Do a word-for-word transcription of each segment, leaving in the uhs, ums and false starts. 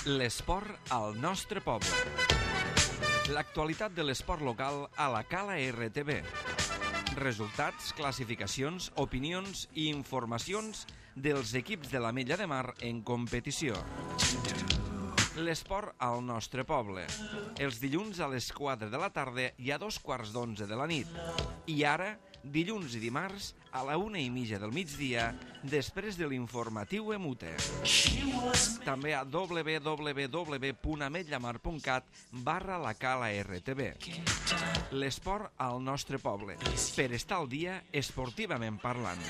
L'esport al nostre poble. L'actualitat de l'esport local a la Cala R T V. Resultats, classificacions, opinions i informacions dels equips de l'Ametlla de Mar en competició. L'esport al nostre poble. Els dilluns a les quatre de la tarda i a dos quarts d'onze de la nit. I ara, dilluns i dimarts, a la una i mitja del migdia, després de l'informatiu Emute. També a w w w punt ametllamar punt cat barra la Cala R T V. L'esport al nostre poble. Per estar al dia, esportivament parlant.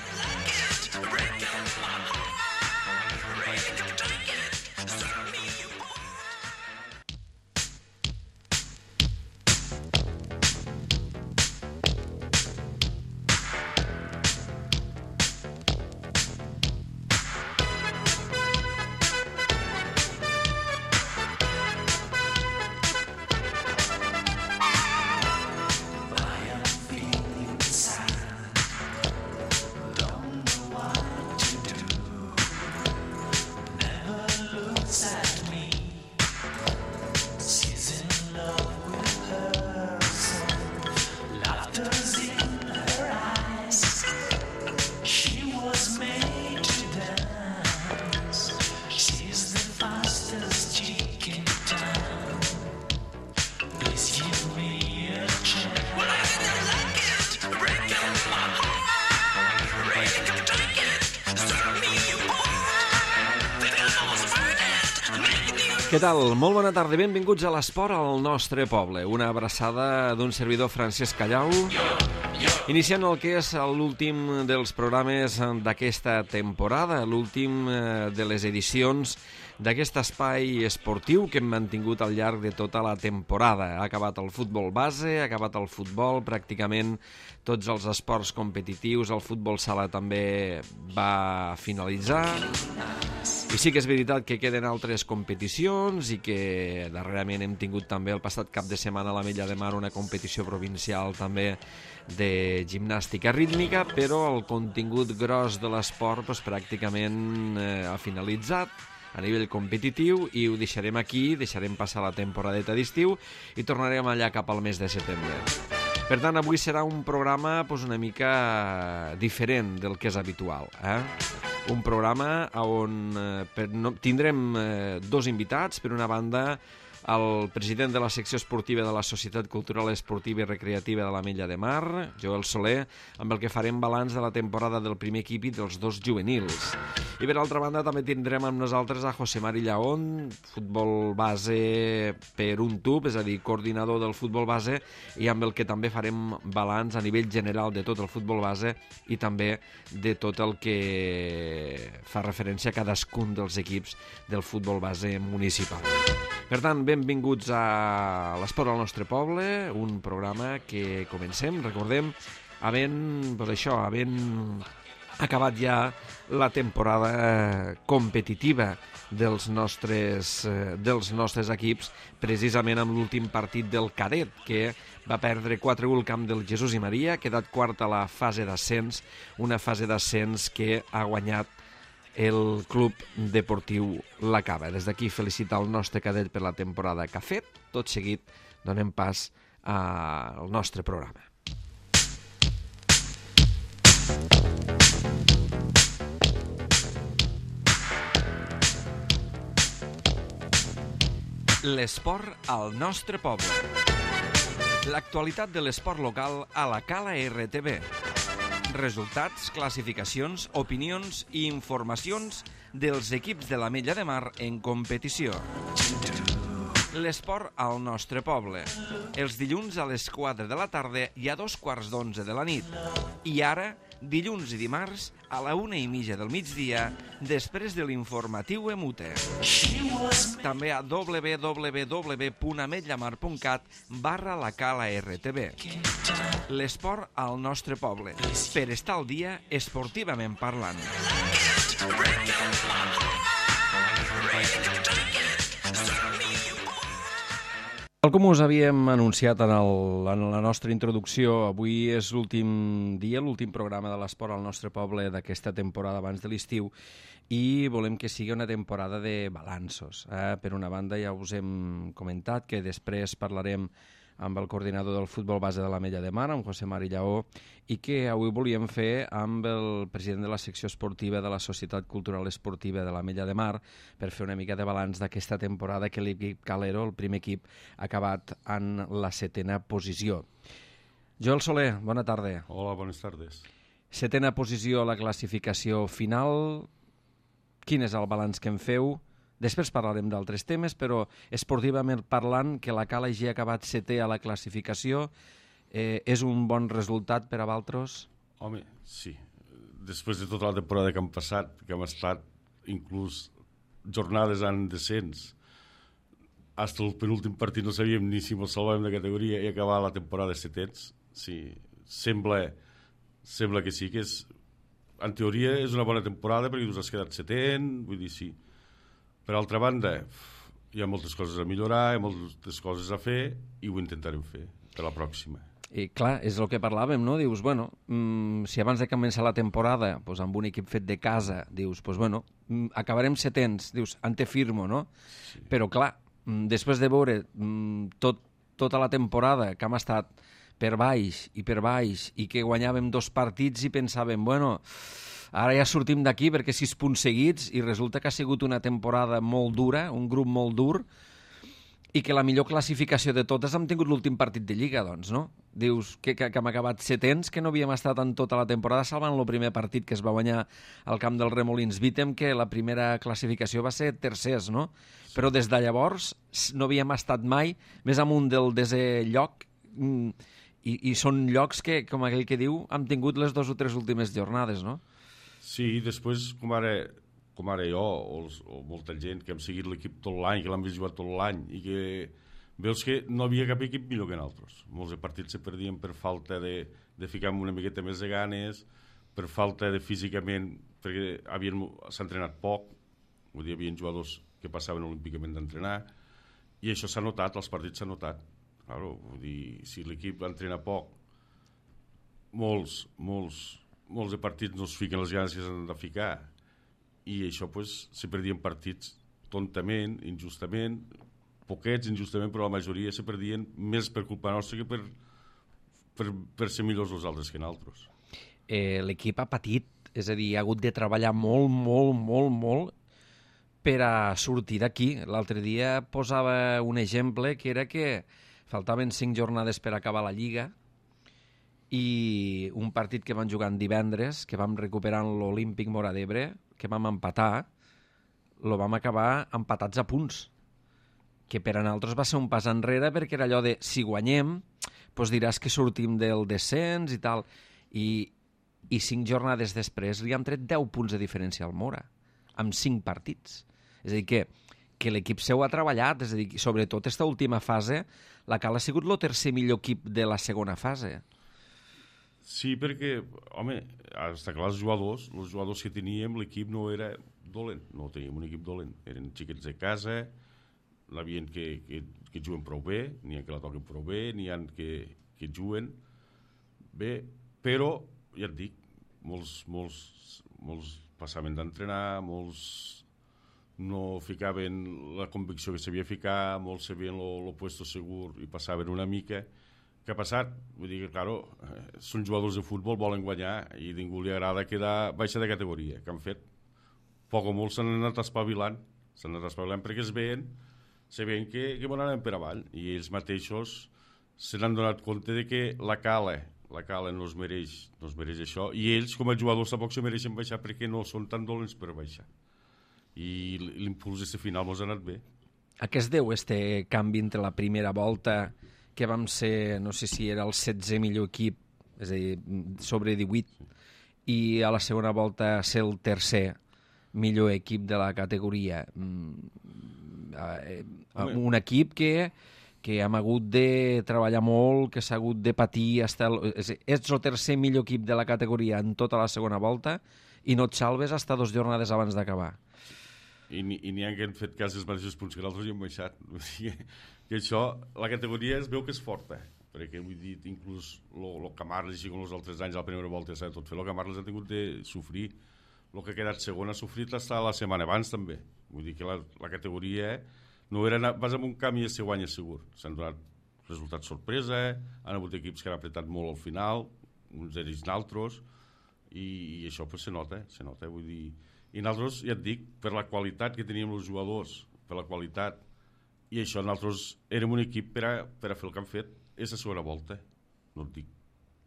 Què tal? Molt bona tarda, benvinguts a l'esport al nostre poble. Una abraçada d'un servidor Francesc Callau, iniciant el que és l'últim dels programes d'aquesta temporada, l'últim de les edicions d'aquest espai esportiu que hem mantingut al llarg de tota la temporada. Ha acabat el futbol base, ha acabat el futbol, pràcticament tots els esports competitius, el futbol sala també va finalitzar. I sí que és veritat que queden altres competicions i que darrerament hem tingut també el passat cap de setmana a l'Ametlla de Mar una competició provincial també de gimnàstica rítmica, però el contingut gros de l'esport doncs, pràcticament eh, ha finalitzat a nivell competitiu i ho deixarem aquí, deixarem passar la temporadeta d'estiu i tornarem allà cap al mes de setembre. Per tant, avui serà un programa doncs, una mica diferent del que és habitual. Eh? Un programa on eh, per, no, tindrem eh, dos invitats. Per una banda, el president de la secció esportiva de la Societat Cultural Esportiva i Recreativa de l'Ametlla de Mar, Joel Soler, amb el que farem balanç de la temporada del primer equip i dels dos juvenils. I per altra banda també tindrem amb nosaltres a José Mari Llaón, futbol base per un tub, és a dir, coordinador del futbol base, i amb el que també farem balanç a nivell general de tot el futbol base i també de tot el que fa referència a cadascun dels equips del futbol base municipal. Per tant, benvinguts a l'Esport al nostre poble, un programa que comencem, recordem, havent, doncs això, havent acabat ja la temporada competitiva dels nostres, dels nostres equips, precisament amb l'últim partit del cadet, que va perdre quatre a u al camp del Jesús i Maria, ha quedat quart a la fase d'ascens, una fase d'ascens que ha guanyat el Club Deportiu La Cava. Des d'aquí felicitar el nostre cadet per la temporada que ha fet. Tot seguit donem pas al nostre programa. L'esport al nostre poble. L'actualitat de l'esport local a la Cala R T V. Resultats, classificacions, opinions i informacions dels equips de l'Ametlla de Mar en competició. L'esport al nostre poble. Els dilluns a les quatre de la tarda i a dos quarts d'onze de la nit. I ara, dilluns i dimarts, a la una i mitja del migdia, després de l'informatiu Emute. També a w w w punt ametllamar punt cat barra la Cala R T V. L'esport al nostre poble. Per estar al dia, esportivament parlant. Tal com us havíem anunciat en, el, en la nostra introducció, avui és l'últim dia, l'últim programa de l'esport al nostre poble d'aquesta temporada abans de l'estiu i volem que sigui una temporada de balanços. Eh? Per una banda, ja us hem comentat que després parlarem amb el coordinador del futbol base de l'Ametlla de Mar, amb José Mari Lleó, i que avui volíem fer amb el president de la secció esportiva de la Societat Cultural Esportiva de l'Ametlla de Mar per fer una mica de balanç d'aquesta temporada que l'equip Calero, el primer equip, ha acabat en la setena posició. Joel Soler, bona tarda. Hola, bones tardes. Setena posició a la classificació final. Quin és el balanç que en feu? Després parlarem d'altres temes, però esportivament parlant, que la Cala hagi acabat setè a la classificació, eh, és un bon resultat per a Valtros? Home, sí. Després de tota la temporada que hem passat, que hem estat inclús jornades en descens, fins el penúltim partit no sabíem ni si ens salvàvem de categoria i acabar la temporada setens, sí, sembla, sembla que sí, que és, en teoria és una bona temporada perquè tu has quedat setè, vull dir, sí. Per altra banda, hi ha moltes coses a millorar, hi ha moltes coses a fer i ho intentarem fer per la pròxima. I clar, és el que parlàvem, no? Dius, bueno, mmm, si abans de començar la temporada, pues, amb un equip fet de casa, dius, pues, bueno, mmm, acabarem setens, dius, ante firmo, no? Sí. Però clar, mmm, després de veure mmm, tot, tota la temporada que hem estat per baix i per baix i que guanyàvem dos partits i pensàvem, bueno, ara ja sortim d'aquí perquè sis punts seguits i resulta que ha sigut una temporada molt dura, un grup molt dur, i que la millor classificació de totes hem tingut l'últim partit de Lliga, doncs, no? Dius que, que, que hem acabat setens, que no havíem estat en tota la temporada, salvant el primer partit que es va guanyar al camp del Remolins Vítem, que la primera classificació va ser tercers, no? Sí. Però des de llavors no havíem estat mai més amunt del desè lloc, i, i són llocs que, com aquell que diu, hem tingut les dues o tres últimes jornades, no? Sí, després, com ara, com ara jo, o, o molta gent que hem seguit l'equip tot l'any, que l'han vist jugar tot l'any, i que veus que no havia cap equip millor que nosaltres. Molts de partits se perdien per falta de, de ficar una miqueta més de ganes, per falta de físicament, perquè havien, s'ha entrenat poc, vull dir, hi havia jugadors que passaven olímpicament d'entrenar, i això s'ha notat, els partits s'ha notat. Claro, vull dir, si l'equip entrena poc, molts, molts, molts de partits no es fiquen les ganes que s'han de ficar i això pues, se perdien partits tontament, injustament, poquets injustament, però la majoria se perdien més per culpa nostra que per, per, per ser millors els altres que nosaltres. Eh, l'equip ha patit, és a dir, ha hagut de treballar molt, molt, molt, molt per a sortir d'aquí. L'altre dia posava un exemple que era que faltaven cinc jornades per acabar la Lliga i un partit que van jugar en divendres, que vam recuperar l'Olímpic Móra d'Ebre, que vam empatar, lo vam acabar empatats a punts, que per a nosaltres va ser un pas enrere perquè era allò de, si guanyem, doncs diràs que sortim del descens i tal, i, i cinc jornades després li han tret deu punts de diferència al Móra, amb cinc partits. És a dir, que, que l'equip seu ha treballat, és a dir, sobretot aquesta última fase, la Cala ha sigut el tercer millor equip de la segona fase. Sí, perquè, home, està clar, els jugadors, els jugadors que teníem, l'equip no era dolent, no teníem un equip dolent, eren xiquets de casa, n'hi ha que, que, que juguen prou bé, n'hi ha que la toquen prou bé, n'hi ha que, que juguen bé, però, ja et dic, molts, molts, molts passaven d'entrenar, molts no ficaven la convicció que s'havia ficar, molts sabien el puesto segur i passaven una mica. Què ha passat? Vull dir que, claro, són jugadors de futbol, volen guanyar i ningú li agrada quedar baixa de categoria. Què han fet? Poc o molt s'han anat espavilant, s'han anat espavilant perquè es veien, se veien que, que bon anem per avall i ells mateixos se n'han donat compte de que la Cala, la Cala no es mereix, no es mereix això i ells com a jugadors tampoc se mereixen baixar perquè no són tan dolents per baixar. I l'impuls d'aquest final mos ha anat bé. A què es deu este canvi entre la primera volta que vam ser, no sé si era el setzè millor equip, és a dir, sobre divuit, sí, i a la segona volta ser el tercer millor equip de la categoria? Un equip que, que hem hagut de treballar molt, que s'ha hagut de patir, hasta el, és, ets el tercer millor equip de la categoria en tota la segona volta i no et salves hasta dos jornades abans d'acabar. I n'hi ha que han fet quasi els mateixos punts que nosaltres i han baixat. Vull dir que això, la categoria es veu que és forta, perquè vull dir, inclús el Camarles, així com els altres anys, a la primera volta ja s'ha tot fer, el Camarles ha tingut de sofrir, el que ha quedat segon ha sofrit està la setmana abans també. Vull dir que la, la categoria no era anar, vas amb un camp i se guanya segur. S'han donat resultats sorpresa, han hagut equips que han apretat molt al final, uns ells d'altres, i, i això pues, se nota, se nota, vull dir. I nosaltres, ja et dic, per la qualitat que teníem els jugadors, per la qualitat, i això nosaltres érem un equip per a, per a fer el que han fet és la segona volta. No et dic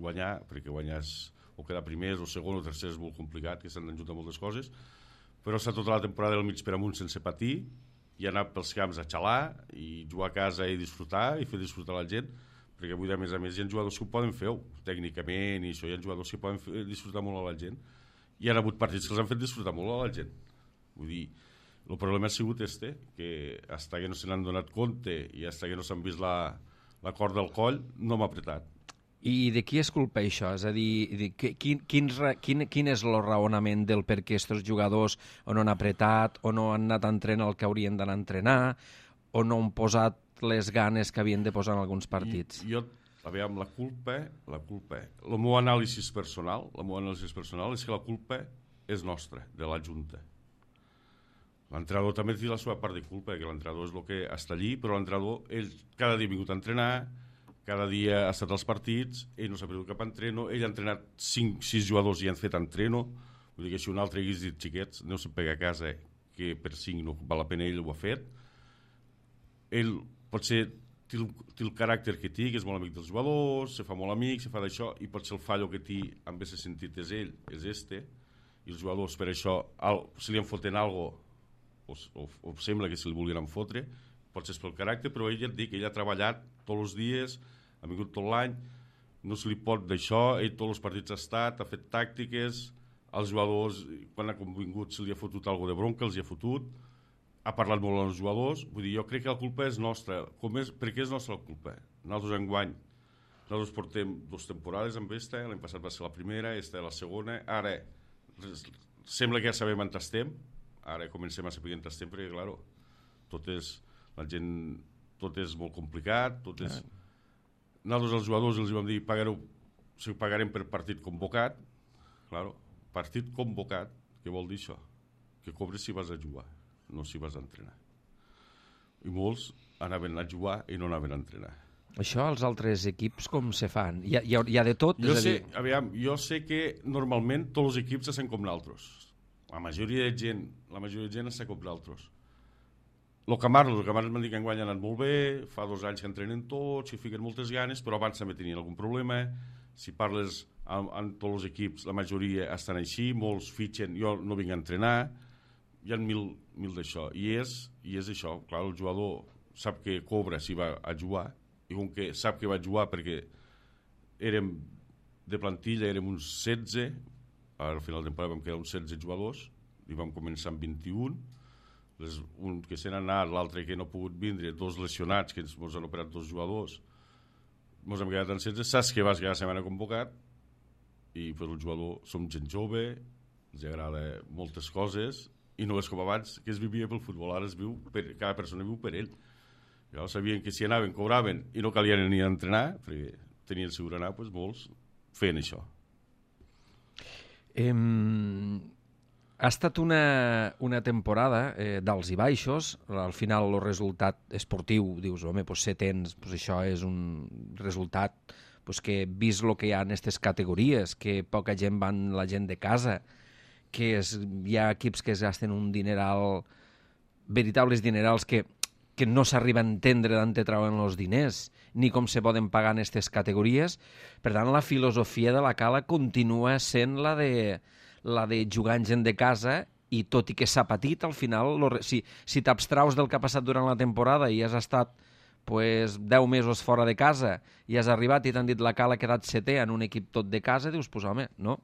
guanyar, perquè guanyar és, o quedar primers o segon o tercer és molt complicat, que s'han d'ajuntar moltes coses, però està tota la temporada del mig per amunt sense patir, i anar pels camps a xalar, i jugar a casa i disfrutar, i fer disfrutar la gent, perquè avui, a més a més, hi ha jugadors que ho poden fer, tècnicament, i això, hi ha jugadors que poden fer, disfrutar molt a la gent, i han hagut partits que els han fet disfrutar molt a la gent. Vull dir, el problema ha sigut este, que fins que no se n'han donat compte i fins que no s'han vist la, la corda al coll, no m'ha apretat. I de qui és culpa això? És a dir, quin, quin, quin, quin és el raonament del per què aquests jugadors o no han apretat, o no han anat a entrenar el que haurien d'anar a entrenar, o no han posat les ganes que havien de posar en alguns partits? I, jo, aviam, la culpa, la culpa, el meu anàlisi personal, la meva anàlisi personal és que la culpa és nostra, de la Junta. L'entrenador també té la seva part de culpa, que l'entrenador és el que està allí, però l'entrenador, ell cada dia ha vingut a entrenar, cada dia ha estat als partits, ell no s'ha perdut cap entreno, ell ha entrenat cinc sis jugadors i han fet entreno, vull dir que si un altre hagués dit xiquets, no se'n pega a casa, que per cinc no val la pena, ell ho ha fet. Ell potser té el, té el caràcter que té, que és molt amic dels jugadors, se fa molt amic, se fa d'això, i potser el fallo que té en aquest sentit és ell, és este, i els jugadors per això, al, si li en foten alguna cosa, o, o, o sembla que se li volien fotre, potser és pel caràcter, però ell ja et dic, ell ha treballat tots els dies, ha vingut tot l'any, no se li pot d'això, ell tots els partits ha estat, ha fet tàctiques, els jugadors, quan ha convingut, se li ha fotut alguna de bronca, els hi ha fotut, ha parlat molt amb els jugadors, vull dir, jo crec que la culpa és nostra. Com és, per què és nostra la culpa? Nosaltres enguany, nosaltres portem dues temporades amb esta, l'any passat va ser la primera, esta la segona, ara sembla que ja sabem on estem, ara comencem a saber on estem, perquè, clar, tot és, la gent, tot és molt complicat, tot és... Nosaltres els jugadors els vam dir, pagareu, si ho pagarem per partit convocat, clar, partit convocat, què vol dir això? Que cobres si vas a jugar, no si vas a entrenar. I molts anaven a jugar i no anaven a entrenar. Això als altres equips com se fan? Hi ha, hi ha, hi ha de tot? Jo, és sé, a dir... aviam, jo sé que normalment tots els equips estan com nosaltres. La majoria de gent, la majoria de gent està com nosaltres. El Camarles, el Camarles m'han dit que enguany ha anat molt bé, fa dos anys que entrenen tots, i fiquen moltes ganes, però abans també tenien algun problema. Si parles amb, amb tots els equips, la majoria estan així, molts fitxen, jo no vinc a entrenar, hi ha mil, mil d'això. I és, I és això, clar, el jugador sap que cobra si va a jugar, i com que sap que va a jugar perquè érem de plantilla, érem uns setze, al final de temporada vam quedar uns setze jugadors, i vam començar amb vint-i-un, les, un que se n'ha anat, l'altre que no ha pogut vindre, dos lesionats, que ens han operat dos jugadors, ens hem quedat en setze, saps que vas quedar la setmana convocat, i per el jugador som gent jove, ens agrada moltes coses, i no és com abans, que es vivia pel futbol, ara es viu, per, cada persona viu per ell. Ja sabien que si anaven, cobraven, i no calia ni entrenar, perquè tenien segur anar, doncs molts feien això. Eh, ha estat una, una temporada eh, d'alts i baixos, al final el resultat esportiu, dius, home, doncs setens, doncs això és un resultat doncs que vist el que hi ha en aquestes categories, que poca gent van, la gent de casa, que és, hi ha equips que es gasten un dineral, veritables dinerals que, que no s'arriba a entendre d'on te trauen els diners, ni com se poden pagar en aquestes categories. Per tant, la filosofia de la Cala continua sent la de, la de jugar en gent de casa, i tot i que s'ha patit, al final, lo, si, si t'abstraus del que ha passat durant la temporada i has estat pues, deu mesos fora de casa i has arribat i t'han dit la Cala ha quedat setè en un equip tot de casa, dius, pues home, no?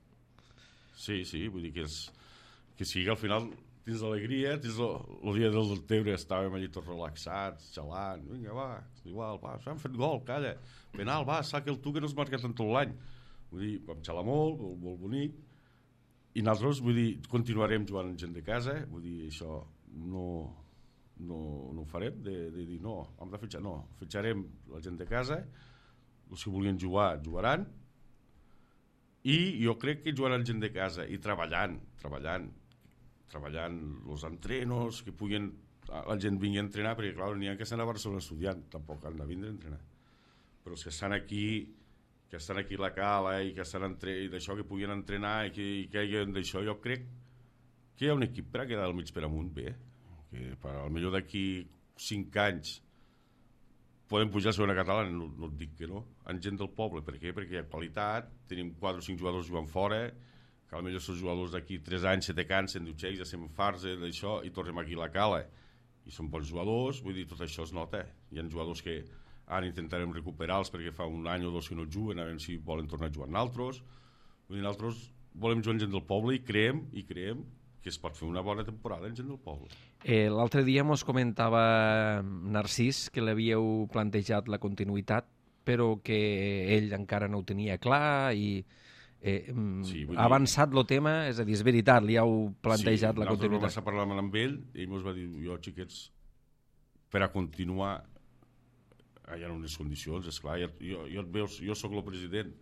Sí, sí, vull dir que, és, que sí, que al final tens alegria, tens el, el dia del Deltebre estàvem allà tots relaxats, xalant, vinga, va, igual, va, s'han fet gol, calla, penal, va, saca el tu que no has marcat en tot l'any. Vull dir, vam xalar molt, molt, molt bonic, i nosaltres, vull dir, continuarem jugant amb gent de casa, vull dir, això, no, no, no ho farem, de, de dir no, hem de fitxar, no, fitxarem la gent de casa, els que volien jugar, jugaran, i jo crec que jugaran gent de casa, i treballant, treballant, treballant els entrenos, que puguin, la gent vingui a entrenar, perquè clar, n'hi ha que estan a Barcelona estudiant, tampoc han de vindre a entrenar, però els que estan aquí, que estan aquí a la cala i que estan entre, i d'això, que puguin entrenar i que, i que hi hagi d'això, jo crec que hi ha un equip per a quedar al mig per amunt bé, que per, al millor d'aquí cinc anys podem pujar a segona catalana, no, no et dic que no, amb gent del poble. Per què? Perquè hi ha qualitat, tenim quatre o cinc jugadors jugant fora, que al millor són jugadors d'aquí tres anys se te cansen, diu, xeix, ja se'n farts d'això, i tornem aquí a la cala, i són bons jugadors, vull dir, tot això es nota. Hi ha jugadors que ara intentarem recuperar-los perquè fa un any o dos que no juguen, a veure si volen tornar a jugar nosaltres. Vull dir, nosaltres volem jugar amb gent del poble i creiem, i creiem que es pot fer una bona temporada amb gent del poble. Eh, L'altre dia mos comentava Narcís que l'havíeu plantejat la continuïtat, però que ell encara no ho tenia clar i eh, sí, ha avançat el tema, és a dir, és veritat, li heu plantejat sí, la continuïtat. Sí, nosaltres vam parlar amb ell i ell ens va dir, jo, xiquets, per a continuar hi ha unes condicions, esclar, jo, jo, jo, et veus, jo sóc el president,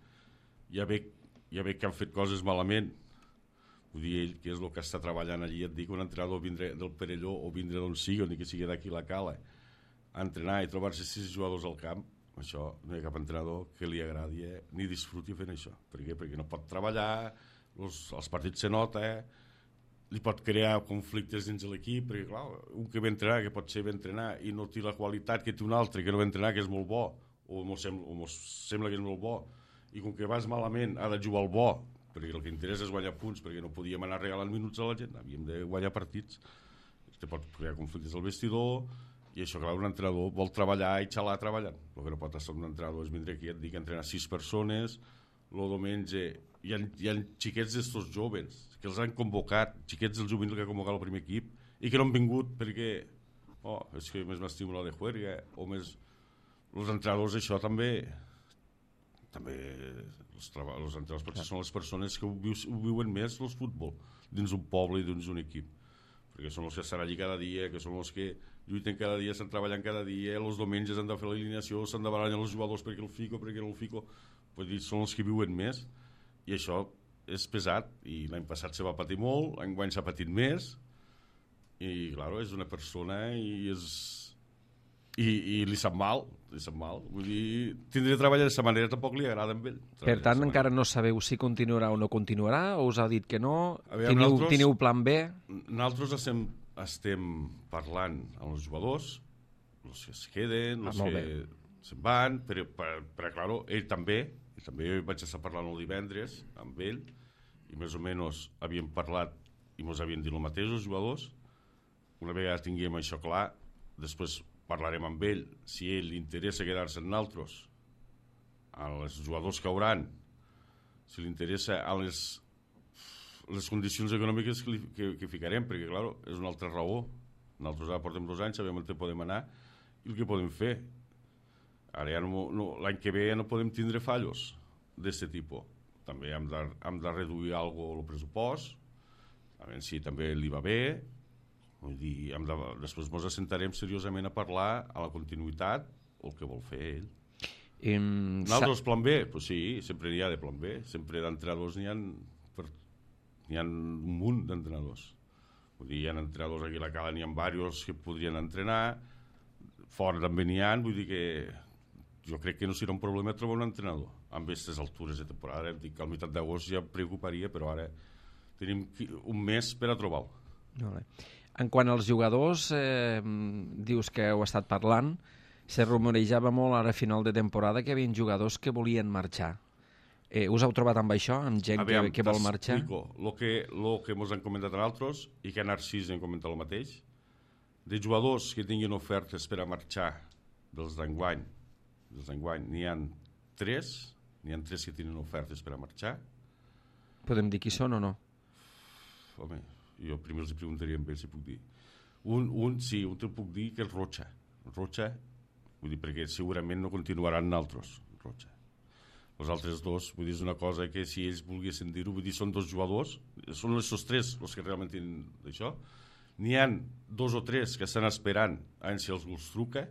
ja veig, ja veig que han fet coses malament, vull dir, ell, que és el que està treballant allí, et dic, un entrenador vindre del Perelló o vindre d'on sigui, ni que sigui d'aquí la cala, a entrenar i trobar-se sis jugadors al camp, això no hi ha cap entrenador que li agradi eh, ni disfruti fent això. Per què? Perquè no pot treballar, els, els partits se nota, eh, li pot crear conflictes dins de l'equip, perquè clar, un que ve entrenar, que pot ser ve entrenar i no té la qualitat que té un altre que no ve entrenar, que és molt bo, o mos sembla, o mos sembla que és molt bo, i com que vas malament ha de jugar al bo, perquè el que interessa és guanyar punts, perquè no podíem anar regalant minuts a la gent, havíem de guanyar partits. Te pot crear conflictes al vestidor, i això, clar, un entrenador vol treballar i xalar treballant. El que no pot estar un entrenador és vindre aquí, et dic, entrenar sis persones, el diumenge hi ha, hi ha xiquets d'estos joves que els han convocat, xiquets del juvenil que ha convocat el primer equip i que no han vingut perquè oh, és que més m'estimo la de juerga o més els entrenadors això també també els, treba, els entrenadors potser són les persones que ho, viu, ho viuen més el futbol dins un poble i dins un equip perquè són els que estan allí cada dia, que són els que lluiten cada dia, estan treballant cada dia, els diumenges han de fer l'alineació, s'han de barallar els jugadors perquè el fico, perquè no el fico, vull dir, són els que viuen més i això és pesat i l'any passat se va patir molt, l'any s'ha patit més i clar, és una persona i és i, i li sap mal li sap mal, vull dir tindre de treballar d'aquesta manera tampoc li agrada amb ell. Per tant encara no sabeu si continuarà o no continuarà o us ha dit que no, veure, teniu, nosaltres, teniu plan B? Nosaltres estem, estem parlant amb els jugadors els que es queden, els ah, que se'n van però, per, per aclarar, ell també i també vaig estar parlant el divendres amb ell i més o menys havíem parlat i ens havien dit el mateix els jugadors. Una vegada tinguem això clar, després parlarem amb ell si ell li interessa quedar-se en nosaltres, als jugadors que hauran, si li interessa a les, les condicions econòmiques que, li, que, que ficarem, perquè clar, és una altra raó. Nosaltres ara portem dos anys, sabem on podem anar i el que podem fer. Ara ja no, no, l'any que ve ja no podem tindre fallos d'aquest tipus. També hem de, hem de reduir alguna el pressupost, a veure si també li va bé, vull dir, hem de, després ens assentarem seriosament a parlar a la continuïtat o el que vol fer ell. Um, Nosaltres plan B? Pues sí, sempre n'hi ha de plan B, sempre d'entrenadors n'hi ha, per, n'hi ha un munt d'entrenadors. Vull dir, hi ha entrenadors aquí a la cala, n'hi ha diversos que podrien entrenar, fora també n'hi ha, vull dir que jo crec que no serà un problema trobar un entrenador amb aquestes altures de temporada. Em dic que al meitat d'agost ja em preocuparia, però ara tenim un mes per a trobar-lo. Vale. En quant als jugadors, eh, dius que heu estat parlant, se rumorejava molt ara a final de temporada que hi havia jugadors que volien marxar. Eh, us heu trobat amb això, amb gent Aviam, que, que vol marxar? El que, lo que ens han comentat a altres i que a Narcís hem comentat el mateix, de jugadors que tinguin ofertes per a marxar dels d'enguany, dels d'enguany n'hi ha tres, n'hi ha tres que tenen ofertes per a marxar. Podem dir qui són o no? Home, jo primer els preguntaria amb ells si puc dir. Un, un sí, un te'l puc dir que és Rocha. Rocha, vull dir, perquè segurament no continuaran altres, Rocha. Els altres dos, vull dir, és una cosa que si ells volguessin dir-ho, vull dir, són dos jugadors, són els tres els que realment tenen això, N'hi ha dos o tres que estan esperant a veure si els els truca,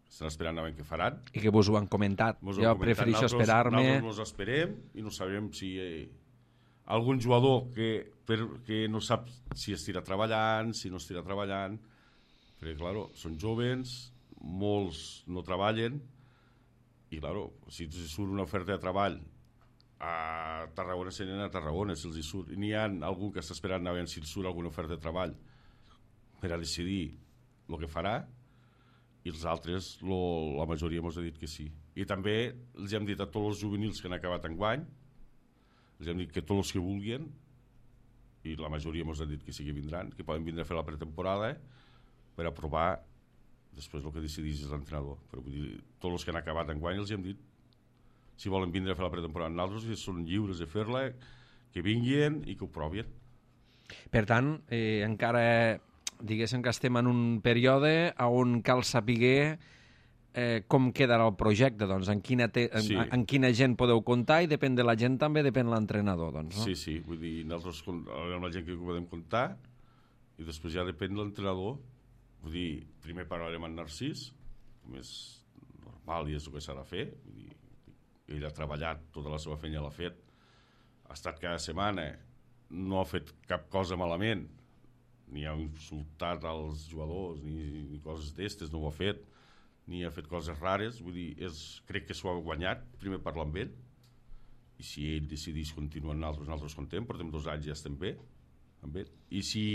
estan esperant a veure què faran. I que vos ho han comentat. Mos Jo ho han comentat. prefereixo Nosaltres- esperar-me... Nosaltres mos esperem i no sabem si eh, algun jugador que, per, que no sap si estirà treballant, si no estirà treballant, perquè, claro, són joves, molts no treballen, i, claro, si surt una oferta de treball a Tarragona, se n'anen a Tarragona, si els hi surt. I n'hi ha algú que està esperant a veure si surt alguna oferta de treball per a decidir el que farà, i els altres, lo, la majoria mos ha dit que sí. I també els hem dit a tots els juvenils que han acabat enguany, els hem dit que tots els que vulguin, i la majoria mos ha dit que sí que vindran, que poden vindre a fer la pretemporada per a provar després el que decidís l'entrenador. Però vull dir, tots els que han acabat enguany els hem dit si volen vindre a fer la pretemporada amb nosaltres, que són lliures de fer-la, que vinguin i que ho provin. Per tant, eh, encara diguéssim que estem en un període on cal saber eh, com quedarà el projecte, doncs, en quina, te, en, Sí. en, en quina gent podeu comptar, i depèn de la gent també depèn l'entrenador, doncs, no? Sí, sí, vull dir, nosaltres con- amb la gent que podem comptar, i després ja depèn de l'entrenador. Vull dir, primer parlarem amb Narcís, com és normal i és el que s'ha de fer. Vull dir, ell ha treballat, tota la seva feina l'ha fet, ha estat cada setmana, no ha fet cap cosa malament, ni ha insultat als jugadors, ni, ni coses d'estes, no ho ha fet, ni ha fet coses rares. Vull dir, és, crec que s'ho ha guanyat, primer parlar amb ell, i si ell decidís continuar amb nosaltres, nosaltres contem, portem dos anys i ja estem bé amb ell. I si,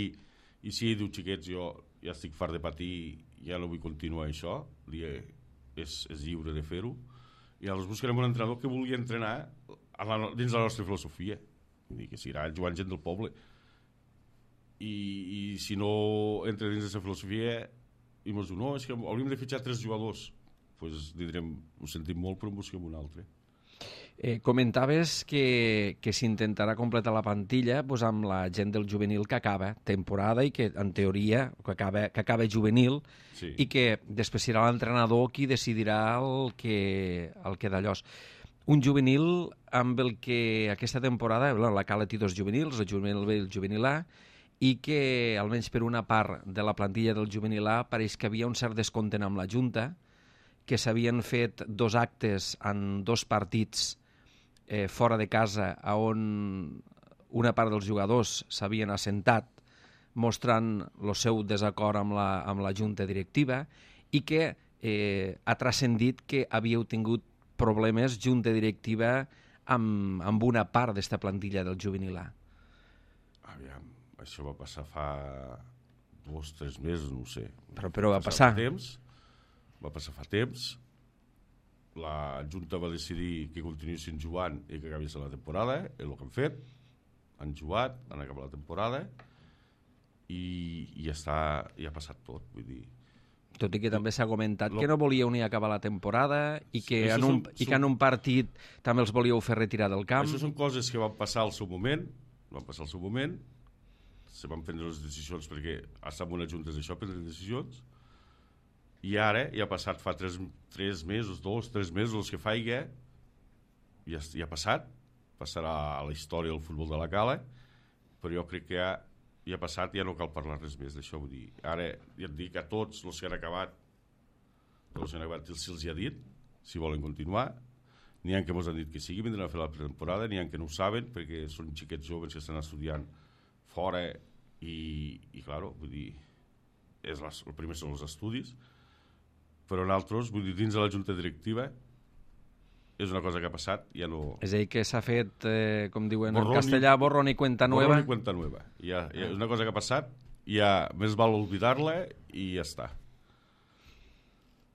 i si ell diu, xiquets, jo ja estic fart de patir, ja no vull continuar això, li he, és, és lliure de fer-ho, i llavors buscarem un entrenador que vulgui entrenar a la, dins de la nostra filosofia. Vull dir, que seguirà jugant gent del poble. I, i si no entra dins d'aquesta filosofia i ens diu, no, és que hauríem de fitxar tres jugadors, doncs direm, ho sentim molt, però en busquem un altre. Eh, comentaves que, que s'intentarà completar la plantilla pues, amb la gent del juvenil que acaba temporada i que, en teoria, que acaba, que acaba juvenil, Sí. i que després serà l'entrenador qui decidirà el que, el que d'allòs. Un juvenil amb el que aquesta temporada, bueno, la Cala té dos juvenils, el juvenil B i el juvenil A, i que, almenys per una part de la plantilla del juvenil A, pareix que havia un cert descontent amb la Junta, que s'havien fet dos actes en dos partits eh, fora de casa, on una part dels jugadors s'havien assentat mostrant el seu desacord amb la, amb la Junta Directiva, i que eh, ha transcendit que havíeu tingut problemes Junta Directiva amb, amb una part d'esta plantilla del juvenil A. Aviam, això va passar fa dos, tres mesos, no ho sé. Però, però va Fa passar. Temps, va passar fa temps. La Junta va decidir que continuïssin jugant i que acabessin la temporada, és el que han fet. Han jugat, han acabat la temporada i, i ja està, ja ha passat tot, vull dir. Tot i que també s'ha comentat Lo- que no volíeu ni acabar la temporada i que, Això en un, són- i que en un partit també els volíeu fer retirar del camp. Això són coses que van passar al seu moment, van passar al seu moment, se van prendre les decisions perquè estar en una junta és això, prendre decisions, i ara, ja ha passat fa tres, tres mesos, dos, tres mesos, els que faiga, ja, ja ha passat, passarà a la història del futbol de la Cala, però jo crec que ja, ja ha passat, ja no cal parlar res més d'això, vull dir, ara ja et dic a tots els que han acabat, tots els que han acabat, si els hi ha dit, si volen continuar, n'hi ha que ens han dit que sí, que vindran a fer la pretemporada, n'hi ha que no ho saben, perquè són xiquets joves que estan estudiant fora i, i claro, vull dir, és les, el primer són els estudis, però nosaltres, vull dir, dins de la junta directiva, és una cosa que ha passat, ja no... És a dir, que s'ha fet, eh, com diuen Borrón en i- castellà, borrón i cuenta nueva. Borrón i cuenta nueva. Ja, ja, és una cosa que ha passat, ja més val oblidar-la i ja està.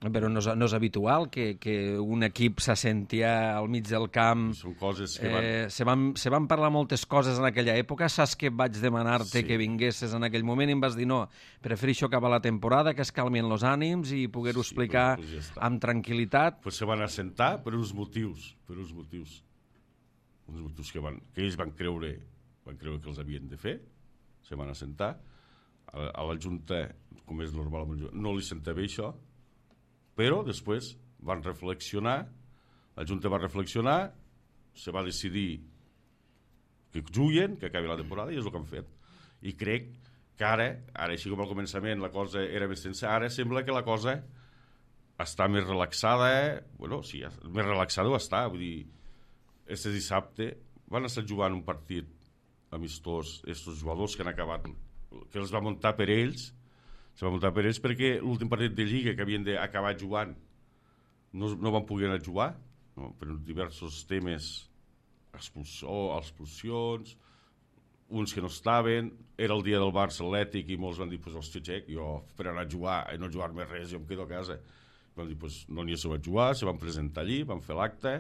Però no és, no és habitual que, que un equip s'assenti al mig del camp. Són coses que van... Eh, se, van, se van parlar moltes coses en aquella època. Saps que vaig demanar-te Sí. que vinguessis en aquell moment i em vas dir no, prefereixo acabar la temporada, que es calmin els ànims i poder-ho Sí, explicar però, pues ja està. amb tranquil·litat. Pues se van assentar per uns motius, per uns motius, uns motius que, van, que ells van creure, van creure que els havien de fer, se van assentar, a la, a la Junta, com és normal, no li senta bé això, però després van reflexionar, la Junta va reflexionar, se va decidir que juguen, que acabi la temporada, i és el que han fet. I crec que ara, ara així com al començament la cosa era més tensa, ara sembla que la cosa està més relaxada, eh? Bueno, sí, més relaxada ho està, vull dir, este dissabte van estar jugant un partit amistós, estos jugadors que han acabat, que els va muntar per ells, se va muntar per ells perquè l'últim partit de Lliga que havien d'acabar jugant no, no van poder anar a jugar, no? Per diversos temes, expulsió, expulsions, uns que no estaven, era el dia del Barça Atlètic i molts van dir, pues, hòstia, xec, jo per anar a jugar i no jugar més res, jo em quedo a casa. Vam dir, pues, no n'hi se va jugar, se van presentar allí, van fer l'acte,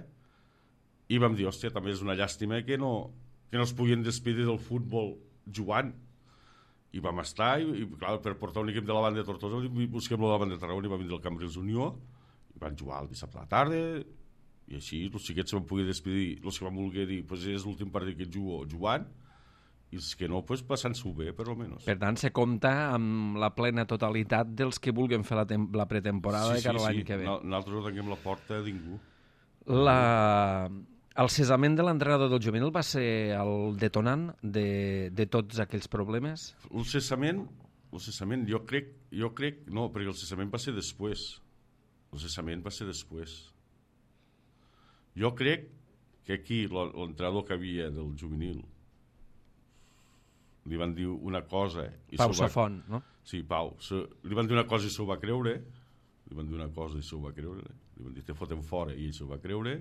i vam dir, hòstia, també és una llàstima que no, que no es puguin despedir del futbol jugant. I vam estar, i, i clar, per portar un equip de la banda de Tortosa, busquem-lo de la banda de Tarragona, i va vindre el Cambrils Unió, i van jugar el dissabte a la tarda, i així els xiquets se van poder despedir, els que van voler dir, pues és l'últim partit que jugo jugant, i els que no, pues, passant-s'ho bé, per almenys. Per tant, se compta amb la plena totalitat dels que vulguin fer la, la pretemporada sí, de cara a sí, l'any sí. que ve. No, nosaltres no tanquem la porta a ningú. La... El cessament de l'entrenador del juvenil va ser el detonant de, de tots aquells problemes? El cessament, el cessament jo, crec, jo crec, no, perquè el cessament va ser després. El cessament va ser després. Jo crec que aquí l'entrenador que havia del juvenil li van dir una cosa... I Pau va... Safont, no? Sí, Pau. Se... Li van dir una cosa i s'ho va creure. Li van dir una cosa i s'ho va creure. Li van dir, te fotem fora, i ell s'ho va creure.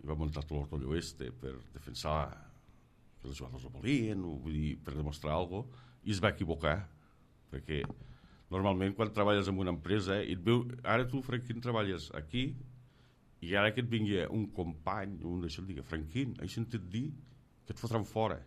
I va muntar tot l'ortolló este per defensar que els jugadors ho volien, o, vull dir, per demostrar alguna cosa, i es va equivocar. Perquè normalment quan treballes en una empresa, i et veu, ara tu, Franquín, treballes aquí, i ara que et vingui un company, un d'això, et digui, Franquín, he sentit dir que et fotran fora.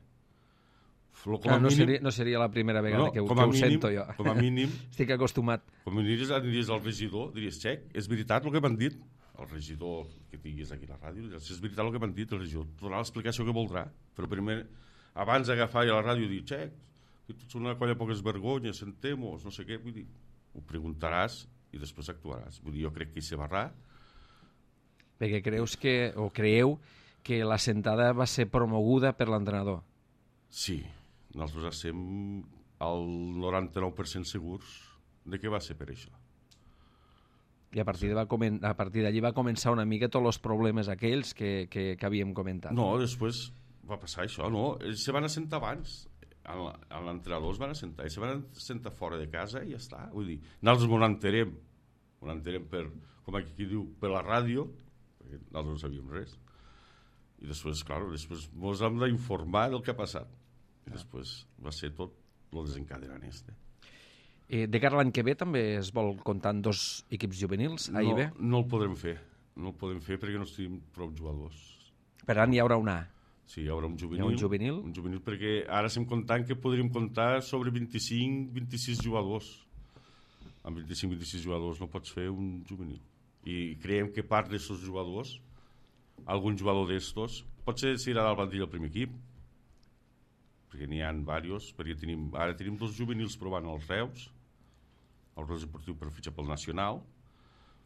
Com no, no, mínim, seria, no seria la primera vegada no, que, que ho mínim, sento jo. Com a mínim... Estic acostumat. Com a mínim aniries al regidor, diries, xec, és veritat el que m'han dit? El regidor que tinguis aquí a la ràdio, diries, és veritat el que m'han dit, el regidor donarà l'explicació que voldrà. Però primer, abans d'agafar a la ràdio, dir, xec, que tots són una colla poques vergonyes, sentem-nos, no sé què, vull dir, ho preguntaràs i després actuaràs. Vull dir, jo crec que hi se barrà. Perquè creus que, o creieu que la sentada va ser promoguda per l'entrenador? Sí. Nosaltres estem al noranta-nou per cent segurs de que va ser per això. I a partir, sí. a partir d'allí va començar una mica tots els problemes aquells que, que, que havíem comentat. No, després va passar això, no. Ells se van assentar abans. A l'entrenador es van assentar. Ells se van assentar fora de casa i ja està. Vull dir, nosaltres m'ho enterem, m'ho enterem per, com aquí diu, per la ràdio, perquè nosaltres no sabíem res. I després, clar, després ens hem d'informar del que ha passat. I després va ser tot el desencadenant este. Eh, de cara a l'any que ve també es vol comptar en dos equips juvenils, A i B? No, no el podrem fer. No el podem fer perquè no tenim prou jugadors. Per tant, hi haurà un A. Sí, hi haurà un juvenil. Hi ha un juvenil? Un juvenil perquè ara estem comptant que podríem comptar sobre vint-i-cinc vint-i-sis jugadors. Amb vint-i-cinc vint-i-sis jugadors no pots fer un juvenil. I creiem que part d'aquests jugadors, algun jugador d'estos, potser s'irà del plantilla al primer equip, perquè n'hi ha diversos, perquè tenim, ara tenim dos juvenils provant els Reus, el Reus Esportiu per fitxar pel Nacional,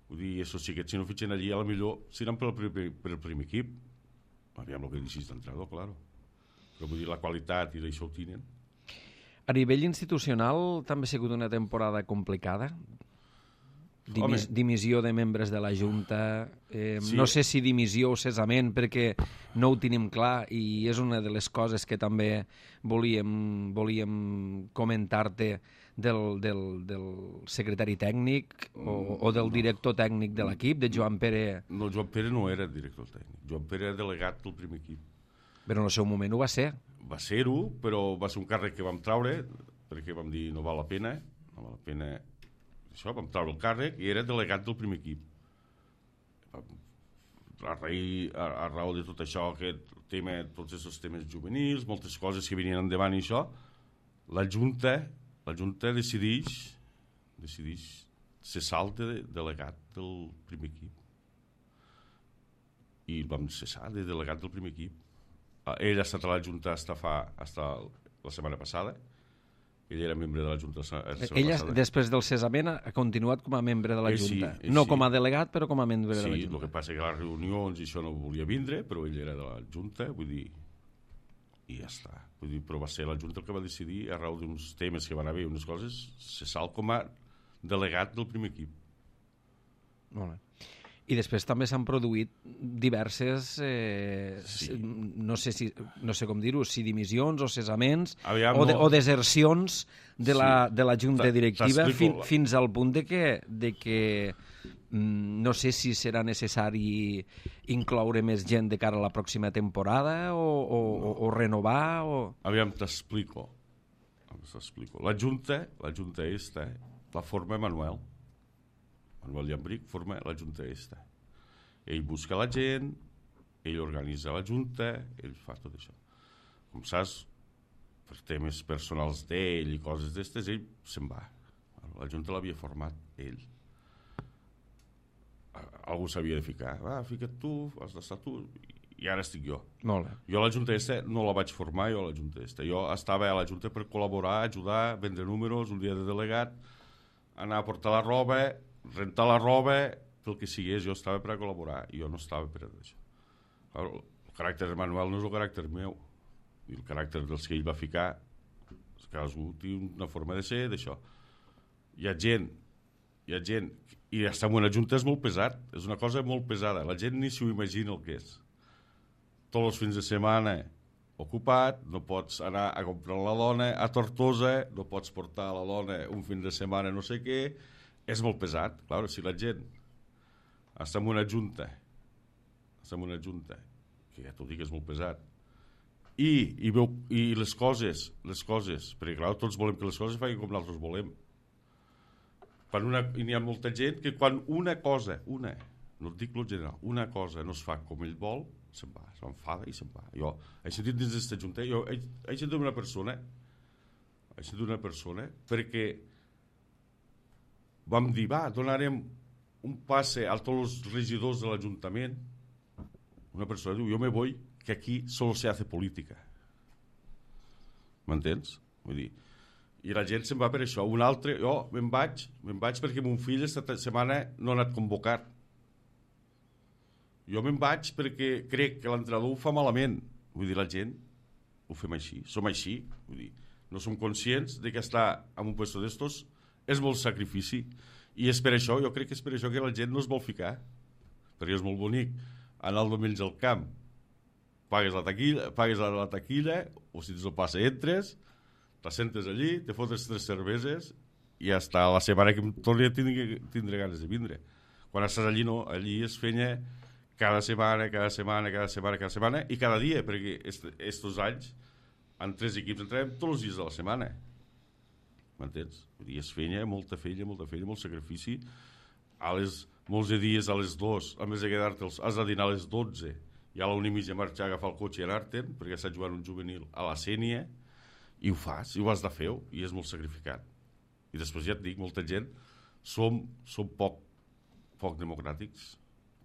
vull dir, aquests xiquets, si no fitxen allí, a la millor seran per el primer, per el primer equip. Aviam el que deixis d'entrenador, clar. Però vull dir, la qualitat i d'això ho tenen. A nivell institucional també ha sigut una temporada complicada? Dimis, dimissió de membres de la Junta, eh, sí. No sé si dimissió o cessament perquè no ho tenim clar i és una de les coses que també volíem, volíem comentar-te del, del, del secretari tècnic o, o del director tècnic de l'equip, de Joan Pere. No, Joan Pere no era director tècnic, Joan Pere era delegat del primer equip. Però en el seu moment ho va ser. Va ser-ho, però va ser un càrrec que vam traure perquè vam dir no val la pena, no val la pena. Això, vam treure el càrrec i era delegat del primer equip. A, rei, a, a raó de tot això, aquest tema, tots aquests temes juvenils, moltes coses que venien endavant i això, la Junta, la Junta decideix, decideix cessar el de, delegat del primer equip. I el vam cessar de delegat del primer equip. Ell ha estat a la Junta fins fa, fins la setmana passada. Ell era membre de la Junta la setmana Ella, passada. després del cessament, ha continuat com a membre de la ell Junta. Sí, no sí. com a delegat, però com a membre sí, de la Junta. Sí, el que passa que a les reunions i això no volia vindre, però ell era de la Junta, vull dir, i ja està. Vull dir, però va ser la Junta el que va decidir, a raó d'uns temes que van haver, unes coses, se sal com a delegat del primer equip. Molt bé. I després també s'han produït diverses, eh, Sí. no sé si no sé com dir-ho, si dimissions o cesaments Aviam, o, de, no. o desercions de, la, Sí. de la junta T'a- directiva t'explico. fin, fins al punt de que, de que mm, no sé si serà necessari incloure més gent de cara a la pròxima temporada o, o, o, o renovar o... Aviam, t'explico. T'explico. La Junta, la Junta esta, la forma Manuel. Manuel Llambric forma la Junta esta. Ell busca la gent, ell organitza la Junta, ell fa tot això. Com saps, per temes personals d'ell i coses d'estes, ell se'n va. La Junta l'havia format ell. Algú s'havia de ficar. Va, fica't tu, has d'estar tu, i ara estic jo. Molt bé. Jo a la Junta esta no la vaig formar, jo a la Junta esta. Jo estava a la Junta per col·laborar, ajudar, vendre números, un dia de delegat, anar a portar la roba, rentar la roba, pel que sigués, jo estava per a col·laborar, i jo no estava per a això. El caràcter de Manuel no és el caràcter meu, i el caràcter dels que ell va ficar, cadascú té una forma de ser, d'això. Hi ha gent, hi ha gent, i estar en una junta és molt pesat, és una cosa molt pesada, la gent ni s'ho imagina el que és. Tots els fins de setmana ocupat, no pots anar a comprar la dona a Tortosa, no pots portar la dona un fin de setmana no sé què, és molt pesat. Clar, si la gent està en una junta, està en una junta, que ja t'ho dic, és molt pesat, i, i, veu, i les coses, les coses, perquè clar, tots volem que les coses facin com nosaltres volem. Quan una, i n'hi ha molta gent que quan una cosa, una, no et dic el general, una cosa no es fa com ell vol, se'n va, s'enfada i se'n va. Jo he sentit dins d'aquesta junta, jo he, he sentit una persona, he sentit una persona, perquè vam dir, va, donarem un passe a tots els regidors de l'Ajuntament. Una persona diu, jo me voy, que aquí solo se hace política. M'entens? Vull dir, i la gent se'n va per això. Un altre, jo me'n vaig, me'n vaig perquè mon fill esta setmana no ha anat convocat. Jo me'n vaig perquè crec que l'entrenador ho fa malament. Vull dir, la gent ho fem així, som així. Vull dir, no som conscients de que estar en un puesto d'estos és molt sacrifici. I és per això, jo crec que és per això que la gent no es vol ficar. Perquè és molt bonic anar el diumenge al camp, pagues la taquilla, pagues la, la taquilla, o si tens el passe entres, t'assentes allí, te fotes tres cerveses i ja està, la setmana que em torni a tindre, tindre ganes de vindre. Quan estàs allí no, allí es fenya cada setmana, cada setmana, cada setmana, cada setmana i cada dia, perquè estos anys en tres equips entrem tots els dies de la setmana. M'entens? I es feina, molta feina, molta feina, molt sacrifici. A les, molts de dies a les dues, a més de quedar-te, has de dinar a les dotze, i a la una i mitja marxar a agafar el cotxe i anar-te'n, perquè estàs jugant un juvenil a la Sènia, i ho fas, i ho has de fer, i és molt sacrificat. I després ja et dic, molta gent, som, som poc, poc democràtics.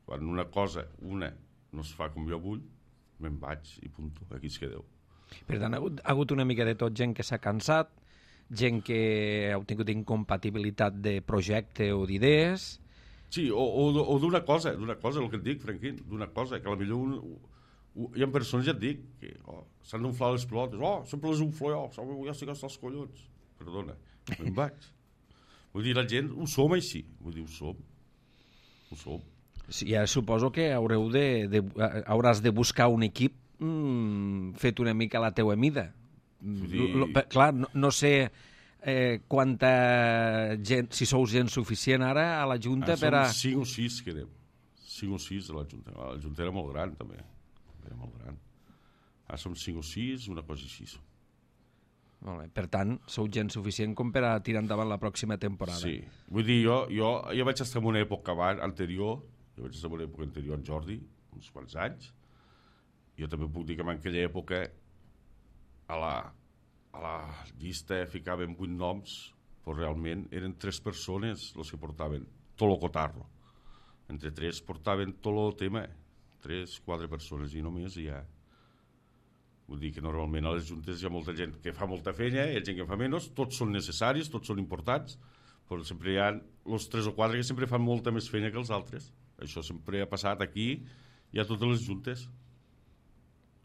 Quan una cosa, una, no es fa com jo vull, me'n vaig i punto, aquí es quedeu. Per tant, ha hagut, ha hagut una mica de tot, gent que s'ha cansat, gent que ha tingut incompatibilitat de projecte o d'idees... Sí, o, o, o d'una cosa, d'una cosa, el que et dic, Franquín, d'una cosa, que potser un, un, hi ha persones, ja et dic, que oh, s'han d'unflar les pilotes, oh, sempre les unflo jo, ja estic hasta els collons. Perdona, me'n vaig. Vull dir, la gent, ho som així, vull dir, ho som, ho som. Sí, ja suposo que haureu de, de, hauràs de buscar un equip mm, fet una mica a la teua mida. Dir... L, l, clar, no, no sé eh, quanta gent, si sou gent suficient ara a la Junta ah, per a... Som cinc o sis que anem, cinc o sis a la Junta. La Junta era molt gran, també, era molt gran. Ara som cinc o sis, una cosa així. Molt bé. Per tant, sou gent suficient com per a tirar endavant la pròxima temporada. Sí, vull dir, jo, jo, jo vaig estar en una època abans, anterior, jo vaig estar en una època anterior en Jordi, uns quants anys. Jo també puc dir que en aquella època a la, a la llista ficàvem vuit noms, però realment eren tres persones els que portaven tot el cotarro. Entre tres portaven tot el tema, tres, quatre persones i només hi ha. Vull dir que normalment a les juntes hi ha molta gent que fa molta feina, hi ha gent que fa menys, tots són necessaris, tots són importants, però sempre hi ha els tres o quatre que sempre fan molta més feina que els altres. Això sempre ha passat aquí i a totes les juntes.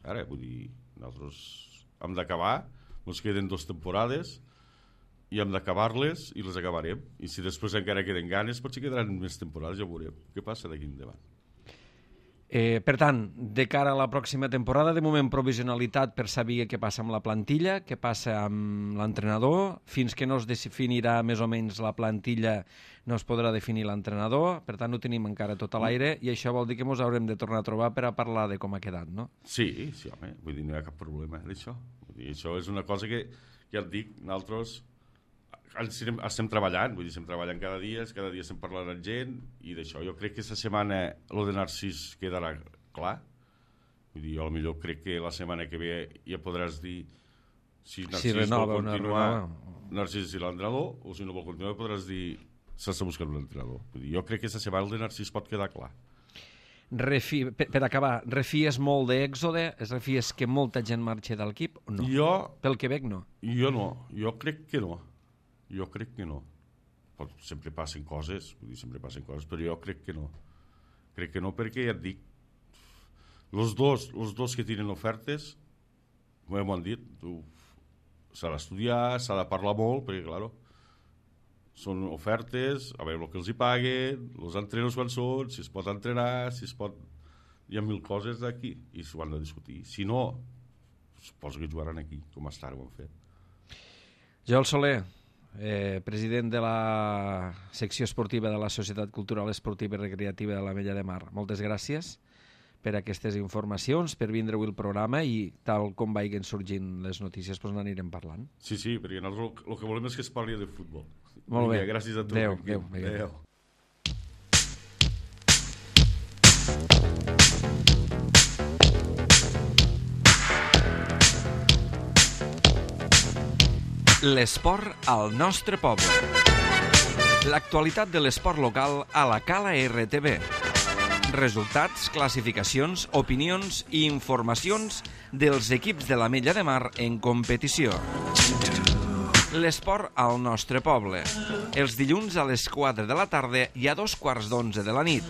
Ara, vull dir, nosaltres hem d'acabar, ens queden dues temporades i hem d'acabar-les i les acabarem. I si després encara queden ganes, potser quedaran més temporades, ja veurem què passa d'aquí endavant. Eh, per tant, de cara a la pròxima temporada, de moment provisionalitat per saber què passa amb la plantilla, què passa amb l'entrenador, fins que no es definirà més o menys la plantilla no es podrà definir l'entrenador, per tant ho tenim encara tot a l'aire i això vol dir que ens haurem de tornar a trobar per a parlar de com ha quedat, no? Sí, sí, home, vull dir, no hi ha cap problema d'això. Vull dir, això és una cosa que, ja et dic, nosaltres estem, estem treballant, vull dir, estem treballant cada dia, cada dia estem parlant amb gent i d'això jo crec que aquesta setmana lo de Narcís quedarà clar. Vull dir, jo potser crec que la setmana que ve ja podràs dir si Narcís si renova, vol continuar Narcís i l'entrenador, o si no vol continuar podràs dir s'està buscant un entrenador. Vull dir, jo crec que aquesta setmana el de Narcís pot quedar clar. Refi, per, per acabar, refies molt d'Èxode? Es refies que molta gent marxa de l'equip o no? Jo, pel Quebec no? Jo no, jo crec que no. Jo crec que no. Pot, sempre passen coses, vull dir, sempre passen coses, però jo crec que no. Crec que no perquè, ja et dic, els dos, els dos que tenen ofertes, m'ho han dit, s'ha d'estudiar, s'ha de parlar molt, perquè, clar, són ofertes, a veure el que els hi paguen, els entrenos quan són, si es pot entrenar, si es pot... Hi ha mil coses d'aquí i s'ho han de discutir. Si no, suposo que jugaran aquí, com fins ara ho han fet. Joel Soler, eh, president de la secció esportiva de la Societat Cultural Esportiva i Recreativa de l'Ametlla de Mar. Moltes gràcies per aquestes informacions, per vindre avui al programa i tal com vagin sorgint les notícies, doncs n'anirem parlant. Sí, sí, perquè nosaltres el que volem és que es parli de futbol. Molt bé. Vinga, gràcies a tu. Adéu, adéu, adéu. L'esport al nostre poble. L'actualitat de l'esport local a la Cala R T V. Resultats, classificacions, opinions i informacions dels equips de l'Ametlla de Mar en competició. L'esport al nostre poble. Els dilluns a les quatre de la tarda i a dos quarts d'onze de la nit.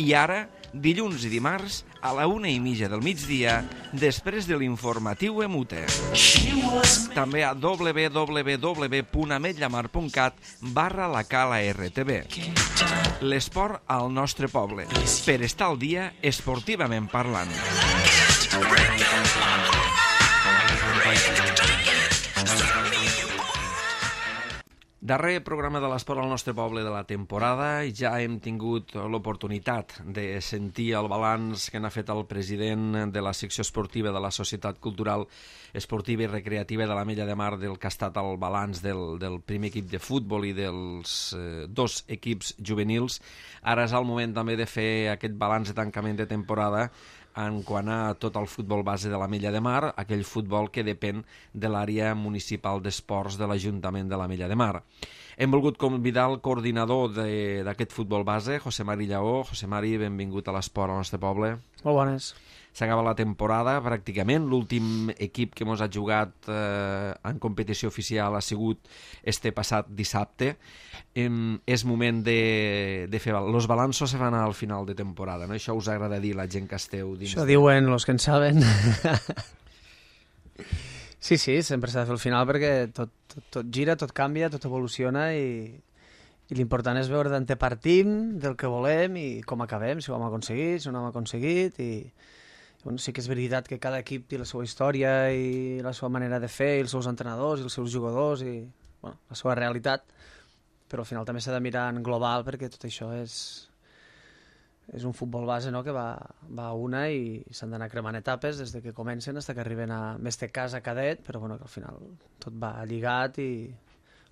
I ara, dilluns i dimarts, a la una i mitja del migdia, després de l'informatiu Emute. També a w w w punt ametllamar punt cat barra la Cala R T V. L'esport al nostre poble. Per estar al dia esportivament parlant. Darrer programa de l'esport al nostre poble de la temporada i ja hem tingut l'oportunitat de sentir el balanç que n'ha fet el president de la secció esportiva de la Societat Cultural Esportiva i Recreativa de l'Ametlla de Mar, del que ha estat el balanç del, del primer equip de futbol i dels eh, dos equips juvenils. Ara és el moment també de fer aquest balanç de tancament de temporada en quant a tot el futbol base de l'Ametlla de Mar, aquell futbol que depèn de l'àrea municipal d'esports de l'Ajuntament de l'Ametlla de Mar. Hem volgut convidar el coordinador d'aquest futbol base, José Mari Lleó. José Mari, benvingut a l'esport al nostre poble. Molt bones. S'acaba la temporada, pràcticament. L'últim equip que ens ha jugat eh, en competició oficial ha sigut este passat dissabte. Em, és moment de, de fer... Els balanços se fan al final de temporada, no? Això us agrada dir la gent que esteu dins... Això diuen els que en saben. Sí, sí, sempre s'ha de fer al final perquè tot, tot, tot gira, tot canvia, tot evoluciona i, i l'important és veure d'on partim, del que volem i com acabem, si ho hem aconseguit, si no ho hem aconseguit i... Bueno, sí que és veritat que cada equip té la seva història i la seva manera de fer, i els seus entrenadors i els seus jugadors i bueno, la seva realitat, però al final també s'ha de mirar en global perquè tot això és, és un futbol base, no?, que va, va a una i s'han d'anar cremant etapes des de que comencen fins que arriben a més de casa cadet, però bueno, que al final tot va lligat i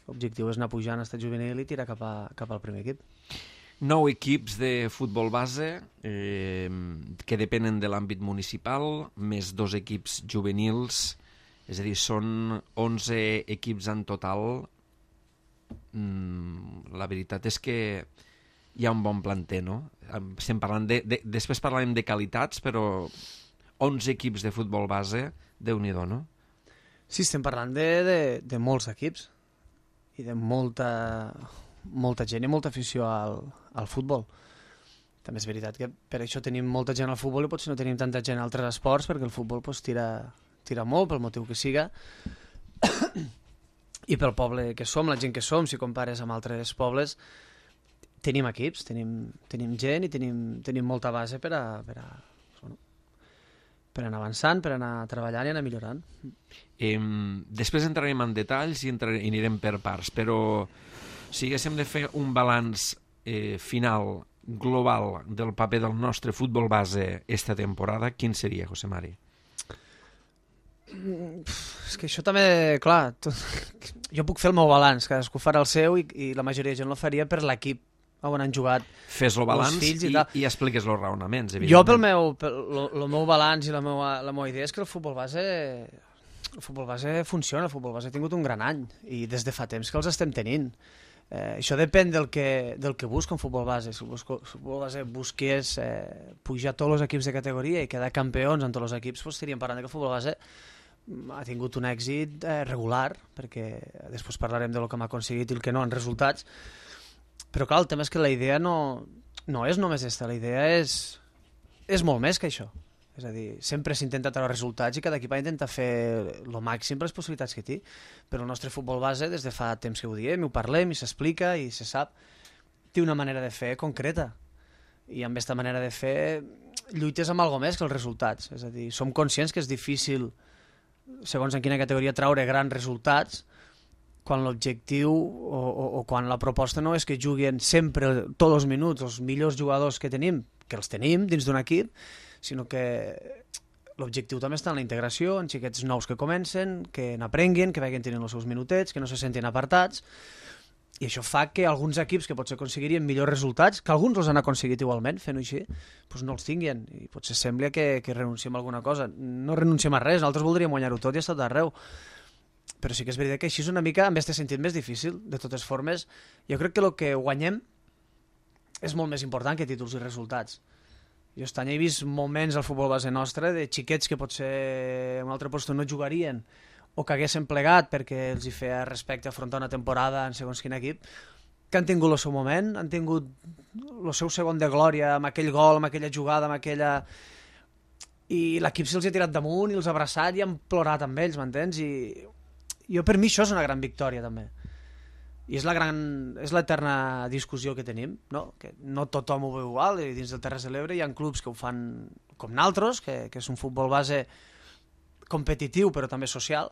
l'objectiu és anar pujant a estat juvenil i tirar cap, a, cap al primer equip. Nou equips de futbol base eh, que depenen de l'àmbit municipal, més dos equips juvenils, és a dir, són onze equips en total. Mm, la veritat és que hi ha un bon planter, no? Estem parlant de, de, després parlarem de qualitats, però onze equips de futbol base, Déu-n'hi-do, no? Sí, estem parlant de, de, de molts equips i de molta... molta gent i molta afició al, al futbol. També és veritat que per això tenim molta gent al futbol i potser no tenim tanta gent a altres esports perquè el futbol pues, tira, tira molt, pel motiu que siga, i pel poble que som, la gent que som, si compares amb altres pobles, tenim equips, tenim, tenim gent i tenim, tenim molta base per a, per a, bueno, per anar avançant, per anar treballant i anar millorant. Eh, després entrarem en detalls i, entrarem, i anirem per parts, però si haguéssim de fer un balanç eh, final, global, del paper del nostre futbol base esta temporada, quin seria, José Mari? Mm, és que això també, clar, tot, jo puc fer el meu balanç, cadascú farà el seu i, i la majoria de gent lo faria per l'equip on han jugat. Fes el balanç i, i, i expliques els raonaments, evidentment. Jo pel meu, pel, lo, lo meu balanç i la meua, la meua idea és que el futbol base el futbol base funciona, el futbol base ha tingut un gran any i des de fa temps que els estem tenint. Eh, això depèn del que, del que busca un futbol base. Si el futbol base busqués eh, pujar tots els equips de categoria i quedar campions en tots els equips, doncs estaríem parlant que el futbol base ha tingut un èxit eh, regular, perquè després parlarem del que hem aconseguit i el que no en resultats, però clar, el tema és que la idea no, no és només aquesta, la idea és, és molt més que això. És a dir, sempre s'intenta treure resultats i cada equip ha d'intentar fer el màxim per les possibilitats que té, però el nostre futbol base, des de fa temps que ho diem, ho parlem i s'explica i se sap, té una manera de fer concreta, i amb aquesta manera de fer lluites amb alguna més que els resultats. És a dir, som conscients que és difícil, segons en quina categoria, traure grans resultats quan l'objectiu o, o, o quan la proposta no és que juguin sempre tots els minuts els millors jugadors que tenim, que els tenim dins d'un equip, sinó que l'objectiu també està en la integració, en xiquets nous que comencen, que n'aprenguin, que vagin tenint els seus minutets, que no se sentin apartats, i això fa que alguns equips que potser aconseguirien millors resultats, que alguns els han aconseguit igualment fent-ho així, doncs no els tinguin, i potser sembla que, que renunciem a alguna cosa. No renunciem a res, nosaltres voldríem guanyar-ho tot i estar d'arreu, però sí que és veritat que així és una mica, amb aquest sentit més difícil. De totes formes, jo crec que el que guanyem és molt més important que títols i resultats. Jo aquest any he vist moments al futbol base nostre de xiquets que potser en un altre lloc no jugarien o que haguessin plegat perquè els hi feia respecte a afrontar una temporada en segons quin equip, que han tingut el seu moment, han tingut el seu segon de glòria amb aquell gol, amb aquella jugada, amb aquella... i l'equip se'ls ha tirat damunt i els ha abraçat i han plorat amb ells, m'entens? I jo, per mi això és una gran victòria també. I és la gran, és l'eterna discussió que tenim, no? Que no tothom ho veu igual, i dins del Terres de l'Ebre hi ha clubs que ho fan com naltros, que, que és un futbol base competitiu però també social,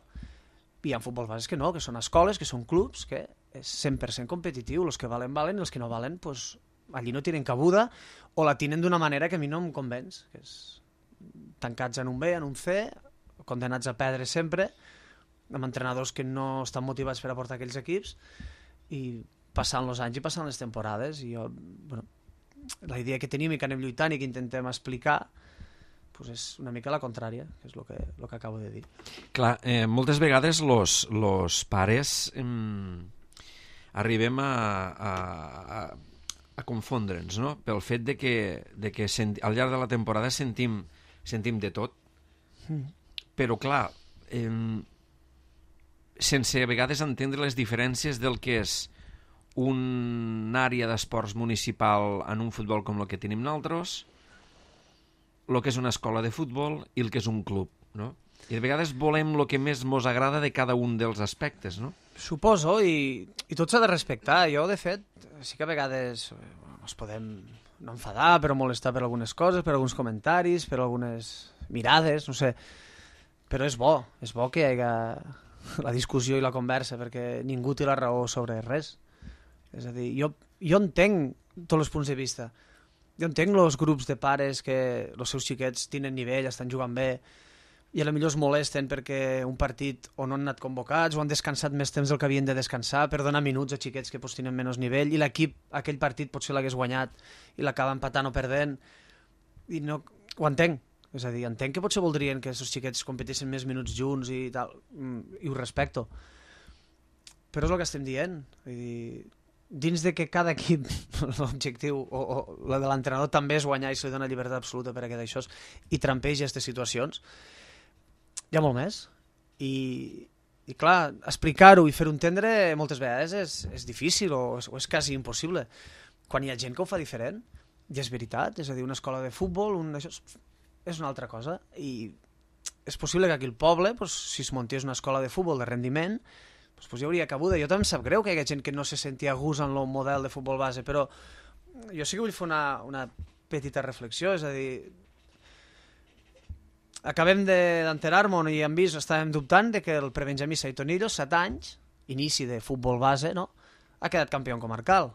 i hi ha futbol bases que no, que són escoles, que són clubs, que és cent per cent competitiu, els que valen valen i els que no valen pues, allí no tenen cabuda o la tenen d'una manera que a mi no em convenç, que és tancats en un B, en un C, condenats a perdre sempre, amb entrenadors que no estan motivats per a portar aquells equips, i passant els anys i passant les temporades, i jo, bueno, la idea que tenim i que anem lluitant i que intentem explicar pues és una mica la contrària, que és el que, lo que acabo de dir. Clar, eh, moltes vegades los, los pares eh, arribem a, a, a, a confondre'ns, no? Pel fet de que, de que senti, al llarg de la temporada sentim, sentim de tot, mm. però clar, eh, sense a vegades entendre les diferències del que és una àrea d'esports municipal en un futbol com el que tenim nosaltres, el que és una escola de futbol i el que és un club, no? I de vegades volem el que més mos agrada de cada un dels aspectes, no? Suposo, i, i tot s'ha de respectar. Jo, de fet, sí que a vegades ens podem no enfadar, però molestar per algunes coses, per alguns comentaris, per algunes mirades, no sé. Però és bo, és bo que hi hagi la discussió i la conversa, perquè ningú té la raó sobre res. És a dir, jo, jo entenc tots els punts de vista. Jo entenc els grups de pares que els seus xiquets tenen nivell, estan jugant bé, i potser es molesten perquè un partit o no han anat convocats o han descansat més temps del que havien de descansar per donar minuts a xiquets que pues, tenen menys nivell, i l'equip, aquell partit potser l'hagués guanyat i l'acaba empatant o perdent, i no, ho entenc. És a dir, entenc que potser voldrien que els xiquets competissin més minuts junts i tal, i ho respecto. Però és el que estem dient. Vull dir, dins de que cada equip, l'objectiu o, o la de l'entrenador també és guanyar i se li dona llibertat absoluta per a que d'això i trampeja aquestes situacions, hi ha molt més. I, i clar, explicar-ho i fer-ho entendre moltes vegades és, és difícil o és, o és quasi impossible. Quan hi ha gent que ho fa diferent, i és veritat, és a dir, una escola de futbol, un, això és, és una altra cosa, i és possible que aquí al poble, pues, si es muntés una escola de futbol de rendiment, pues, pues hi hauria cabuda. Jo també em sap greu que hi ha gent que no se sentia a gust en el model de futbol base, però jo sí que vull fer una, una petita reflexió, és a dir, acabem d'enterar-nos i hem vist, estàvem dubtant de que el prebenjamí Saitonillos, set anys, inici de futbol base, no? Ha quedat campió comarcal,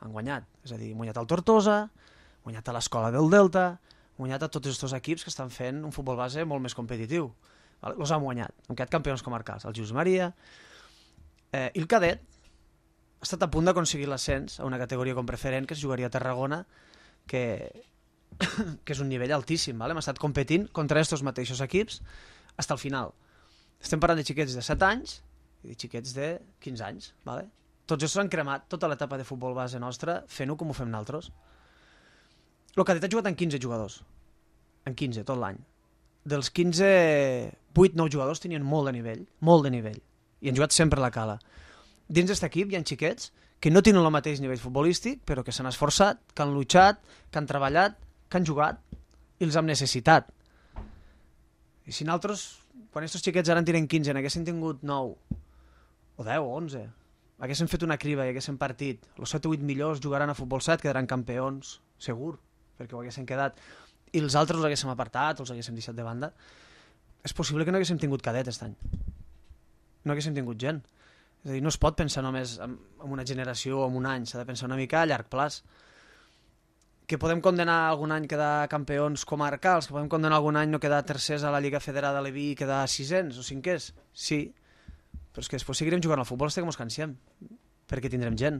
han guanyat, és a dir, han guanyat el Tortosa, han guanyat a l'escola del Delta, han guanyat a tots aquests equips que estan fent un futbol base molt més competitiu. Els han guanyat, han quedat campions comarcals, el Jesús Maria, eh, i el cadet ha estat a punt d'aconseguir l'ascens a una categoria com preferent que es jugaria a Tarragona, que, que és un nivell altíssim, ¿vale? Hem estat competint contra aquests mateixos equips fins al final. Estem parlant de xiquets de set anys i de xiquets de quinze anys, ¿vale? Tots ells han cremat tota l'etapa de futbol base nostra fent-ho com ho fem nosaltres. El cadet ha jugat en quinze jugadors, en quinze tot l'any. Dels quinze, vuit nou jugadors tenien molt de nivell, molt de nivell, i han jugat sempre a la cala. Dins d'aquest equip hi ha xiquets que no tenen el mateix nivell futbolístic, però que s'han esforçat, que han luchat, que han treballat, que han jugat i els hem necessitat. I si nosaltres, quan aquests xiquets ara en tenen quinze, n'haguessin tingut nou, o deu, o onze, haguessin fet una criba i haguessin partit, els set o vuit millors jugaran a futbol set, quedaran campions, segur, perquè ho haguessin quedat, i els altres els haguéssim apartat, els haguéssim deixat de banda. És possible que no haguéssim tingut cadet aquest any. No haguéssim tingut gent. És a dir, no es pot pensar només en una generació o en un any, s'ha de pensar una mica a llarg plaç. Que podem condenar algun any quedar campions comarcals, que podem condenar algun any no quedar tercers a la Lliga Federada a Leví i quedar sisens o cinquers, sí, però és que després seguirem jugant al futbol fins que ens cansem, perquè tindrem gent,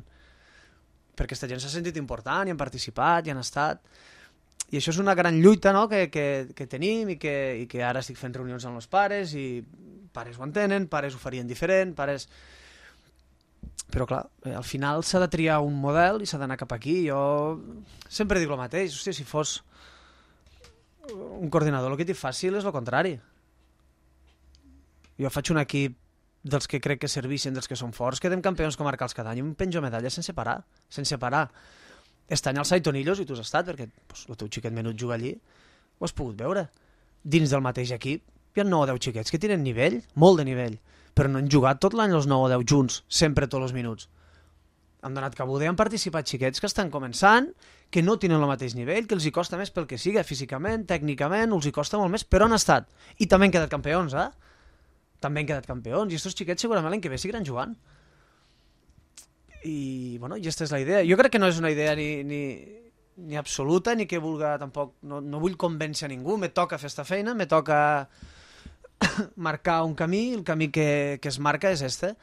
perquè aquesta gent s'ha sentit important i han participat i han estat, i això és una gran lluita, no?, que, que, que tenim i que, i que ara estic fent reunions amb els pares i pares ho entenen, pares ho farien diferent, pares... Però clar, al final s'ha de triar un model i s'ha d'anar cap aquí. Jo sempre dic el mateix, hòstia, si fos un coordinador el que t'hi fàcil és el contrari. Jo faig un equip dels que crec que serveixen, dels que són forts, quedem campions comarcals cada any i em penjo medalles sense parar, sense parar. Este any al Saitonillos, i tu has estat, perquè pues, el teu xiquet menut juga allí, ho has pogut veure. Dins del mateix equip hi ha nou o deu xiquets que tenen nivell, molt de nivell, però no han jugat tot l'any els nou o deu junts, sempre tots els minuts. Han donat cabuda i han participat xiquets que estan començant, que no tenen el mateix nivell, que els hi costa més pel que siga, físicament, tècnicament, els hi costa molt més, però han estat. I també han quedat campions, eh? També han quedat campions, i aquests xiquets segurament l'any que ve seguiran jugant. I, bueno, i aquesta és la idea. Jo crec que no és una idea ni, ni, ni absoluta, ni que vulga tampoc... No, no vull convèncer a ningú, me toca fer esta feina, me toca... marcar un camí, el camí que, que es marca és este,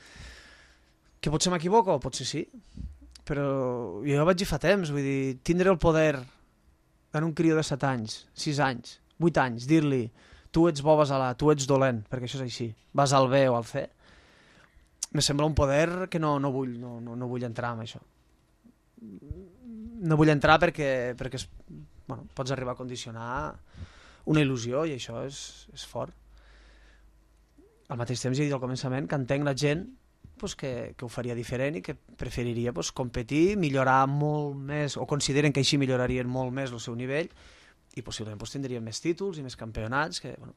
que potser m'equivoco, potser sí, però jo vaig dir fa temps, vull dir, tindre el poder en un crió de set anys, sis anys, vuit anys, dir-li tu ets bo, vas a la, tu ets dolent, perquè això és així, vas al B o al C, me sembla un poder que no, no, vull, no, no, no vull entrar en això. No vull entrar perquè, perquè es, bueno, pots arribar a condicionar una il·lusió i això és, és fort. Al mateix temps, ja he dit al començament, que entenc la gent pues, que, que ho faria diferent i que preferiria pues, competir, millorar molt més, o consideren que així millorarien molt més el seu nivell i possiblement pues, tindrien més títols i més campionats, que bueno,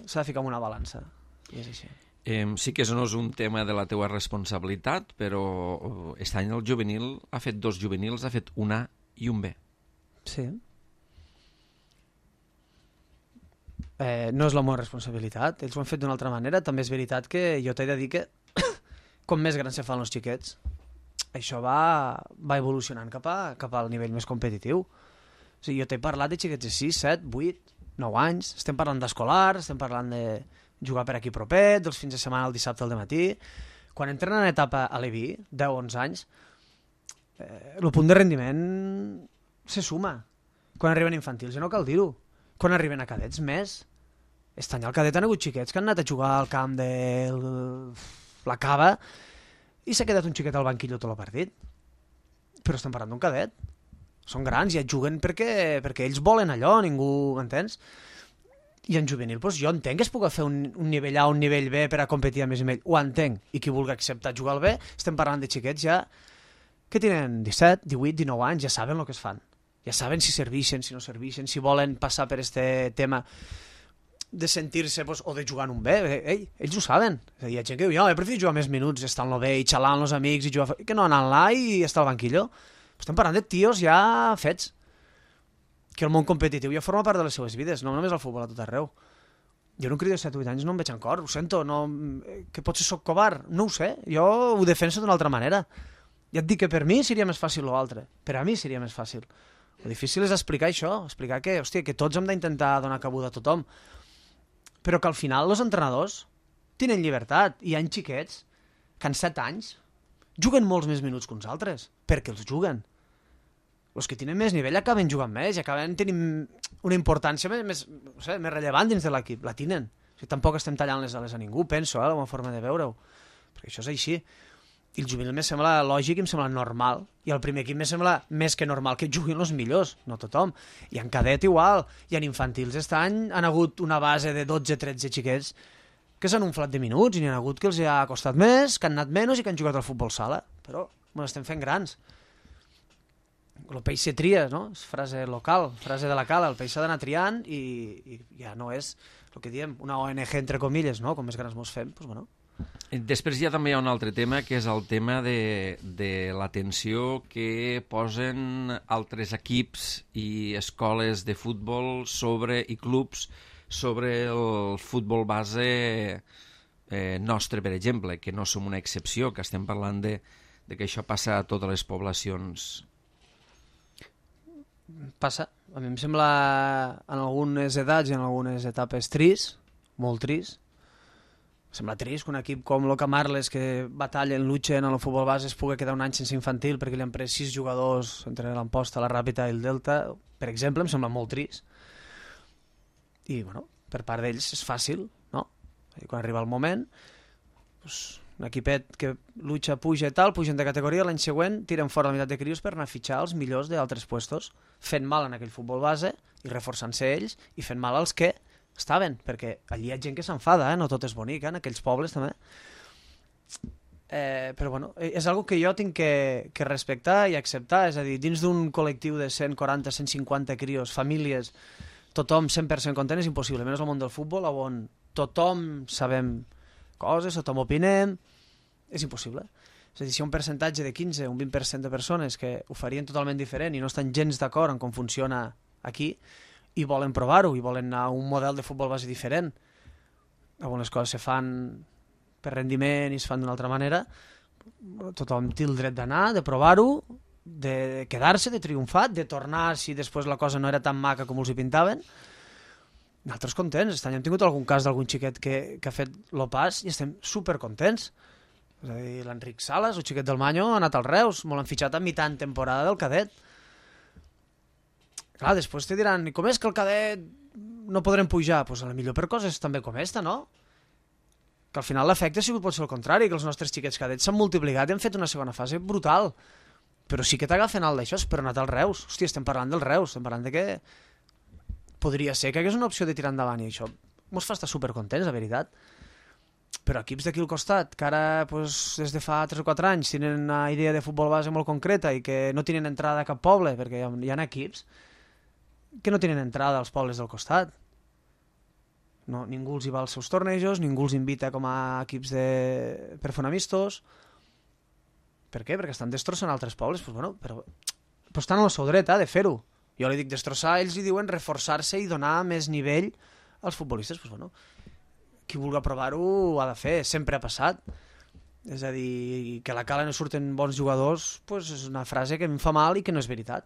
s'ha de ficar en una balança, i és així. Eh, sí que no és un tema de la teua responsabilitat, però aquest any el juvenil ha fet dos juvenils, ha fet un A i un B. Sí. Eh, no és la meva responsabilitat, ells ho han fet d'una altra manera. També és veritat que jo t'he de dir que com més grans se fan els xiquets, això va, va evolucionant cap, a, cap al nivell més competitiu. O sigui, jo t'he parlat de xiquets de sis, set, vuit, nou anys, estem parlant d'escolars, estem parlant de jugar per aquí propet, dels fins de setmana el dissabte al dematí. Quan entren en etapa a Leví, deu o onze anys, eh, el punt de rendiment se suma. Quan arriben infantils ja no cal dir-ho. Quan arriben a cadets, més. Aquest any al cadet han hagut xiquets que han anat a jugar al camp de la Cava i s'ha quedat un xiquet al banquillo tot el partit. Però estem parlant d'un cadet. Són grans i et juguen perquè, perquè ells volen allò, ningú, m'entens? I en juvenil, doncs jo entenc que es pugui fer un, un nivell A, un nivell B per a competir a més i més. Ho entenc. I qui vulgui acceptar jugar al B, estem parlant de xiquets ja que tenen disset, divuit, dinou anys, ja saben el que es fan. Ja saben si serveixen, si no serveixen, si volen passar per este tema de sentir-se pues, o de jugar en un bé. Ei, ells ho saben. Hi ha gent que diu, jo he preferit jugar més minuts, estar en el bé i xalar amb els amics i jugar... que no anar là i estar al banquillo. Estem parlant de tios ja fets. Que el món competitiu ja forma part de les seves vides, no només el futbol a tot arreu. Jo un crio de set o vuit anys no em veig en cor, ho sento, no... que potser soc covard, no ho sé, jo ho defenso d'una altra manera. Ja et dic que per mi seria més fàcil l'altre, per a mi seria més fàcil. El difícil és explicar això, explicar que, hòstia, que tots hem d'intentar donar cabuda a tothom, però que al final els entrenadors tenen llibertat, i hi ha xiquets que en set anys juguen molts més minuts que uns altres, perquè els juguen. Els que tenen més nivell acaben jugant més i acaben tenint una importància més, més, no sé, més rellevant dins de l'equip, la tenen. O sigui, tampoc estem tallant les ales a ningú, penso, eh, la meva forma de veure-ho, perquè això és així. I el juvenil me sembla lògic i em sembla normal. I el primer equip me sembla més que normal que juguin els millors, no tothom. I en cadet igual, i en infantils aquest any han hagut una base de dotze tretze xiquets que s'han unflat de minuts i n'hi ha hagut que els ha costat més, que han anat menys i que han jugat al futbol sala. Però me l'estem fent grans. El peix se tria, no? És frase local, frase de la cala. El peix s'ha d'anar triant i, i ja no és el que diem, una O N G entre comilles, no? Com més grans mos fem, doncs bueno. Després ja també hi ha un altre tema, que és el tema de, de l'atenció que posen altres equips i escoles de futbol sobre i clubs sobre el futbol base eh, nostre, per exemple, que no som una excepció, que estem parlant de, de que això passa a totes les poblacions. Passa. A mi em sembla en algunes edats i en algunes etapes trist, molt trist. Sembla trist que un equip com l'Oca Marles, que batallen, luchen en el futbol base, es pugui quedar un any sense infantil perquè li han pres sis jugadors entre l'Amposta, la Ràpita i el Delta, per exemple, em sembla molt trist. I, bueno, per part d'ells és fàcil, no? I quan arriba el moment, doncs, un equipet que lucha, puja i tal, pugen de categoria, l'any següent tiren fora la meitat de crios per anar a fitxar els millors d'altres puestos, fent mal en aquell futbol base i reforçant-se ells i fent mal als que estaven, perquè allí hi ha gent que s'enfada, eh? No tot és bonic, eh? En aquells pobles també. Eh, però bueno, és algo que jo tinc que, que respectar i acceptar, és a dir, dins d'un col·lectiu de cent quaranta a cent cinquanta crios, famílies, tothom cent per cent content és impossible, menys al món del futbol, on tothom sabem coses, tothom opinem, és impossible. És a dir, si hi ha un percentatge de quinze o un vint per cent de persones que ho farien totalment diferent i no estan gens d'acord en com funciona aquí, i volen provar-ho, i volen anar a un model de futbol base diferent, on les coses se fan per rendiment i es fan d'una altra manera, tothom té el dret d'anar, de provar-ho, de quedar-se, de triomfar, de tornar si després la cosa no era tan maca com els hi pintaven. Nosaltres contents, aquest any hem tingut algun cas d'algun xiquet que, que ha fet el pas i estem supercontents. És a dir, l'Enric Sales, el xiquet del Manyo, ha anat als Reus, molt han fitxat a mitjan temporada del cadet. Clar, després te diran, i com és que el cadet no podrem pujar? Doncs pues a la millor per coses també com esta, no? Que al final l'efecte ha sigut potser el contrari, que els nostres xiquets cadets s'han multiplicat i han fet una segona fase brutal. Però sí que t'agafen alt d'això, però ha anat als Reus. Hòstia, estem parlant dels Reus, estem parlant de que podria ser que hagués una opció de tirar endavant i això mos fa estar supercontents, la veritat. Però equips d'aquí al costat, que ara pues, des de fa tres o quatre anys tenen una idea de futbol base molt concreta i que no tenen entrada a cap poble, perquè hi ha, hi ha equips que no tenen entrada als pobles del costat. No, ningú els hi va als seus tornejos, ningú els invita com a equips de... per fer amistos. Per què? Perquè estan destrossant altres pobles. Pues, bueno, però... però estan al seu dret eh, de fer-ho. Jo li dic destrossar, ells li diuen reforçar-se i donar més nivell als futbolistes. Pues, bueno, qui vulgui provar-ho ho ha de fer, sempre ha passat. És a dir, que a la Cala no surten bons jugadors pues és una frase que em fa mal i que no és veritat.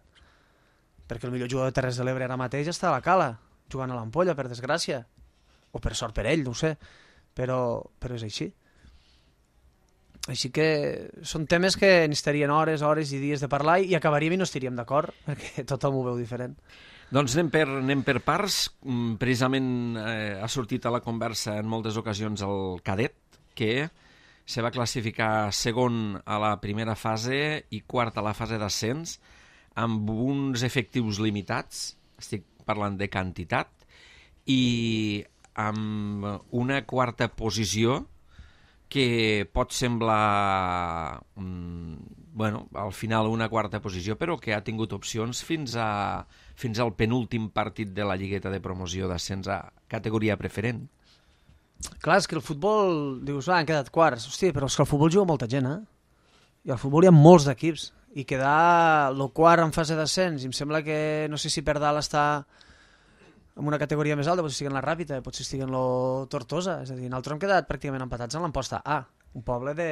Perquè el millor jugador de Terres de l'Ebre ara mateix està a la Cala, jugant a l'Ampolla, per desgràcia. O per sort per ell, no ho sé. Però, però és així. Així que són temes que necessitarien hores, hores i dies de parlar i acabaríem i no estaríem d'acord, perquè tothom ho veu diferent. Doncs anem per, anem per parts. Precisament eh, ha sortit a la conversa en moltes ocasions el cadet, que se va classificar segon a la primera fase i quart a la fase d'ascens, amb uns efectius limitats, estic parlant de quantitat, i amb una quarta posició que pot semblar, mm, bueno, al final una quarta posició, però que ha tingut opcions fins a fins al penúltim partit de la lligueta de promoció d'ascens a categoria preferent. Clar, és que el futbol, dius, ah, han quedat quarts. Hòstia, però és que el futbol juga molta gent, eh? I al futbol hi ha molts d'equips. I quedar el quart en fase d'ascens, i em sembla que, no sé si per dalt està en una categoria més alta, potser estigui en la Ràpita, potser estigui en la Tortosa. És a dir, nosaltres hem quedat pràcticament empatats en l'emposta A. Un poble de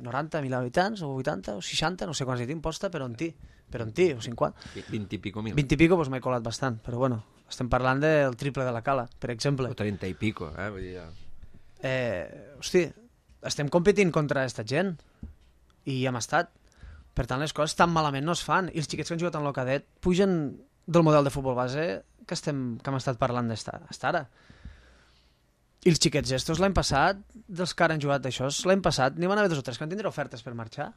noranta mil habitants, o vuitanta, o seixanta, no sé quants hi té imposta, però en ti, però en ti, o cinquanta. vint i pico mil. vint i pico, doncs m'he colat bastant, però bueno, estem parlant del triple de la Cala, per exemple. O trenta i pico, eh? Vull dir, ja. Eh, hosti, estem competint contra aquesta gent, i hi hem estat. Per tant, les coses tan malament no es fan, i els xiquets que han jugat en el cadet pugen del model de futbol base que, estem, que hem estat parlant d'estar ara. I els xiquets estos l'any passat, dels que ara han jugat d'això, l'any passat n'hi van haver dos o tres que van tindre ofertes per marxar.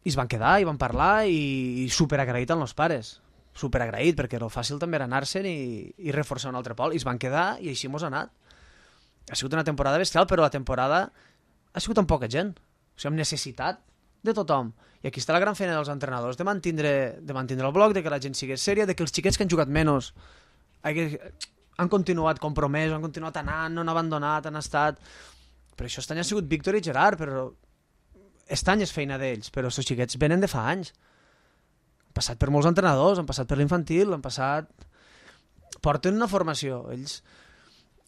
I es van quedar, i van parlar, i, i superagraït als pares. Superagraït, perquè el fàcil també era anar-se'n i, i reforçar un altre pol. I es van quedar, i així mos ha anat. Ha sigut una temporada bestial, però la temporada ha sigut amb poca gent. O sigui, amb necessitat de tothom. I aquí està la gran feina dels entrenadors, de mantindre, de mantindre el bloc, de que la gent sigui sèria, de que els xiquets que han jugat menys han continuat compromesos, han continuat anant, no han abandonat, han estat... Per això este any ha sigut Víctor i Gerard, però este any és feina d'ells, però els xiquets venen de fa anys. Han passat per molts entrenadors, han passat per l'infantil, han passat... Porten una formació, ells...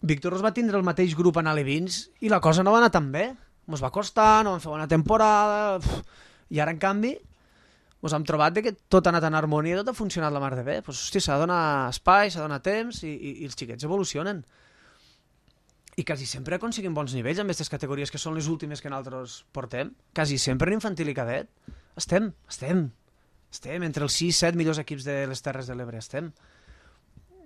Víctor els va tindre el mateix grup en alevins i la cosa no va anar tan bé. Ens va costar, no vam fer bona temporada... I ara, en canvi, ens hem trobat que tot ha anat en harmonia, tot ha funcionat la mar de bé. Pues, hòstia, s'ha de donar espai, s'ha de donar temps i, i, i els xiquets evolucionen. I quasi sempre aconseguim bons nivells amb aquestes categories que són les últimes que nosaltres portem. Quasi sempre en infantil i cadet. Estem, estem. Estem entre els sis set millors equips de les Terres de l'Ebre, estem.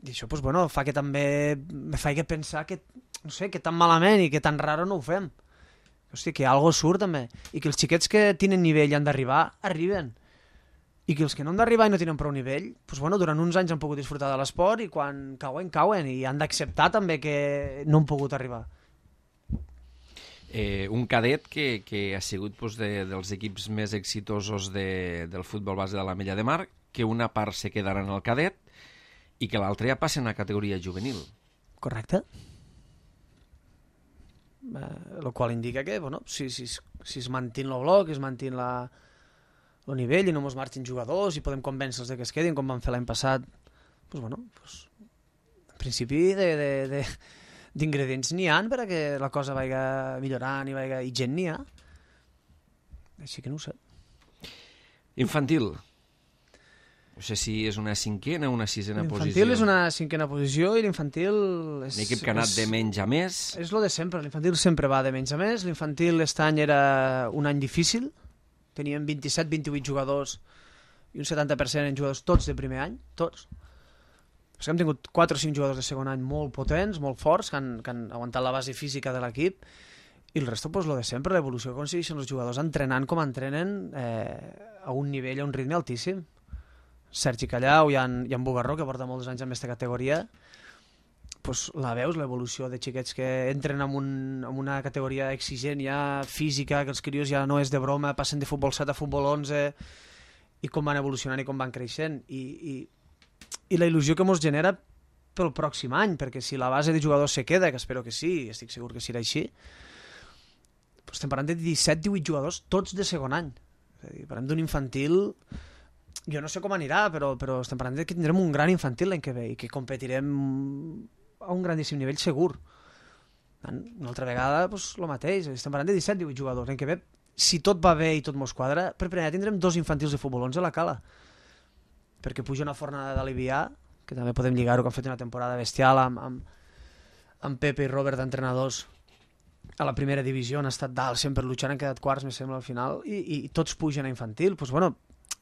I això, pues, bueno, fa que també me faci pensar que, no sé, que tan malament i que tan raro no ho fem. Hòstia, que algo surt també. I que els xiquets que tenen nivell i han d'arribar, arriben. I que els que no han d'arribar i no tenen prou nivell, pues, bueno, durant uns anys han pogut disfrutar de l'esport i quan cauen, cauen. I han d'acceptar també que no han pogut arribar. Eh, un cadet que, que ha sigut pues, de, dels equips més exitosos de, del futbol base de la Mella de Mar, que una part se quedarà en el cadet i que l'altra ja passa a categoria juvenil. Correcte. Eh, el qual indica que, bueno, si, si, si es mantin el bloc, es mantin la, el nivell i no ens marxin jugadors i podem convèncer-los de que es quedin, com vam fer l'any passat, pues, bueno, pues, en principi de, de, de, d'ingredients n'hi ha per a que la cosa vagi millorant i, vagi, i gent n'hi ha. Així que no ho sé. Infantil. No sé si és una cinquena o una sisena posició. L'infantil és una cinquena posició i l'infantil... És, l'equip que ha anat és, de menys a més. És lo de sempre, l'infantil sempre va de menys a més. L'infantil aquest any era un any difícil. Teníem vint-i-set vint-i-vuit jugadors i un setanta per cent en jugadors tots de primer any, tots. Però hem tingut quatre o cinc jugadors de segon any molt potents, molt forts, que han, que han aguantat la base física de l'equip. I el resto, pues, lo de sempre, l'evolució que aconsegueixen els jugadors entrenant com entrenen eh, a un nivell, a un ritme altíssim. Sergi Callau i en, i en Bugarró, que porta molts anys en aquesta categoria, pues, la veus, l'evolució de xiquets que entren en, un, en una categoria exigent ja física, que els crios ja no és de broma, passen de futbol set a futbol onze, i com van evolucionant i com van creixent. I, i, i la il·lusió que ens genera pel pròxim any, perquè si la base de jugadors se queda, que espero que sí, estic segur que serà així, pues, estem parlant de disset divuit jugadors, tots de segon any. És a dir, parlem d'un infantil... Jo no sé com anirà, però, però estem parlant que tindrem un gran infantil l'any que ve i que competirem a un grandíssim nivell segur. Una altra vegada, doncs, el mateix. Estem parlant de disset divuit jugadors. L'any que ve, si tot va bé i tot mos quadra, per primer tindrem dos infantils de futbol onze a la Cala. Perquè puja una fornada d'Alivià, que també podem lligar-ho, que han fet una temporada bestial amb, amb, amb Pepe i Robert d'entrenadors a la primera divisió, han estat dalt, sempre luchant, han quedat quarts, me sembla, al final, i, i, i tots pugen a infantil. Doncs, bueno,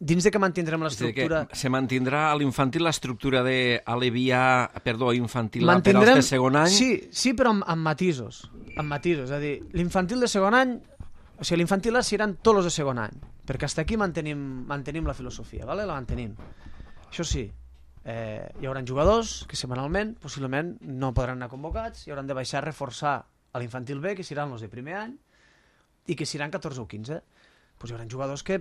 dins de que mantindrem l'estructura... Se mantindrà a l'infantil l'estructura d'Alevià, perdó, infantil mantindrem... per als de segon any? Sí, sí, però amb, amb matisos. Amb matisos, és a dir, l'infantil de segon any, o sigui, l'infantil seran tots els de segon any, perquè fins aquí mantenim, mantenim la filosofia, ¿vale? La mantenim. Això sí, eh, hi haurà jugadors que setmanalment, possiblement, no podran anar convocats i hauran de baixar a reforçar a l'infantil B, que seran els de primer any, i que seran catorze o quinze. Pues hi haurà jugadors que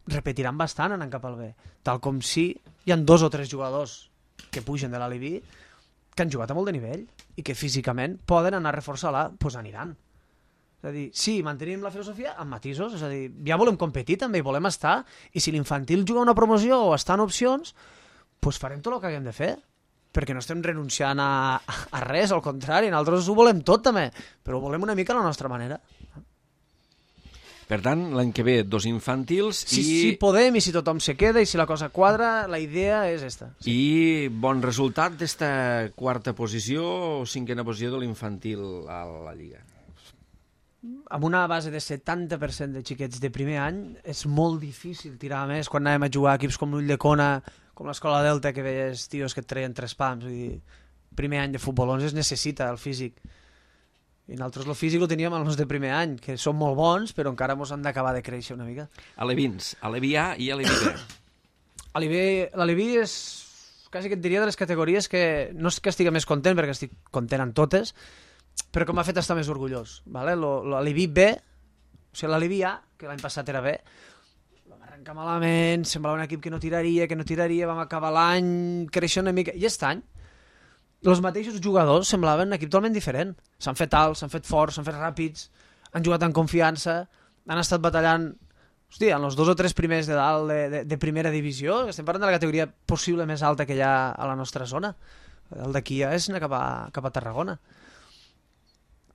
repetiran bastant anant cap al B, tal com si hi ha dos o tres jugadors que pugen de l'Alibi que han jugat a molt de nivell i que físicament poden anar a reforçar l'A, doncs pues aniran. És a dir, sí, mantenim la filosofia amb matisos, és a dir, ja volem competir també i volem estar, i si l'infantil juga una promoció o està en opcions, doncs pues farem tot el que haguem de fer, perquè no estem renunciant a, a res, al contrari, nosaltres ho volem tot també, però ho volem una mica a la nostra manera. Per tant, l'any que ve, dos infantils si, i... Si podem i si tothom se queda i si la cosa quadra, la idea és esta. Sí. I bon resultat d'esta quarta posició o cinquena posició de l'infantil a la Lliga. Amb una base de setanta per cent de xiquets de primer any és molt difícil tirar més quan anàvem a jugar a equips com l'Ull de Cona, com l'Escola Delta, que veies tios que et treien tres pams. Vull dir, primer any de futbol onze es necessita el físic. I nosaltres el físic el teníem els de primer any, que són molt bons, però encara ens han d'acabar de créixer una mica. Alevins, Alevi A i Alevi B. L'Alevi és, quasi que et diria, de les categories que no és que estigui més content, perquè estic content en totes, però que m'ha fet estar més orgullós. Vale? L'Alevi B, o sigui, l'Alevi A, que l'any passat era B, vam arrencar malament, semblava un equip que no tiraria, que no tiraria, vam acabar l'any creixent una mica, i aquest any els mateixos jugadors semblaven un equip totalment diferent. S'han fet alts, s'han fet forts, s'han fet ràpids, han jugat en confiança, han estat batallant, hòstia, en els dos o tres primers de dalt de, de, de primera divisió. Estem parlant de la categoria possible més alta que hi ha a la nostra zona. El d'aquí ja és anar cap a, cap a Tarragona.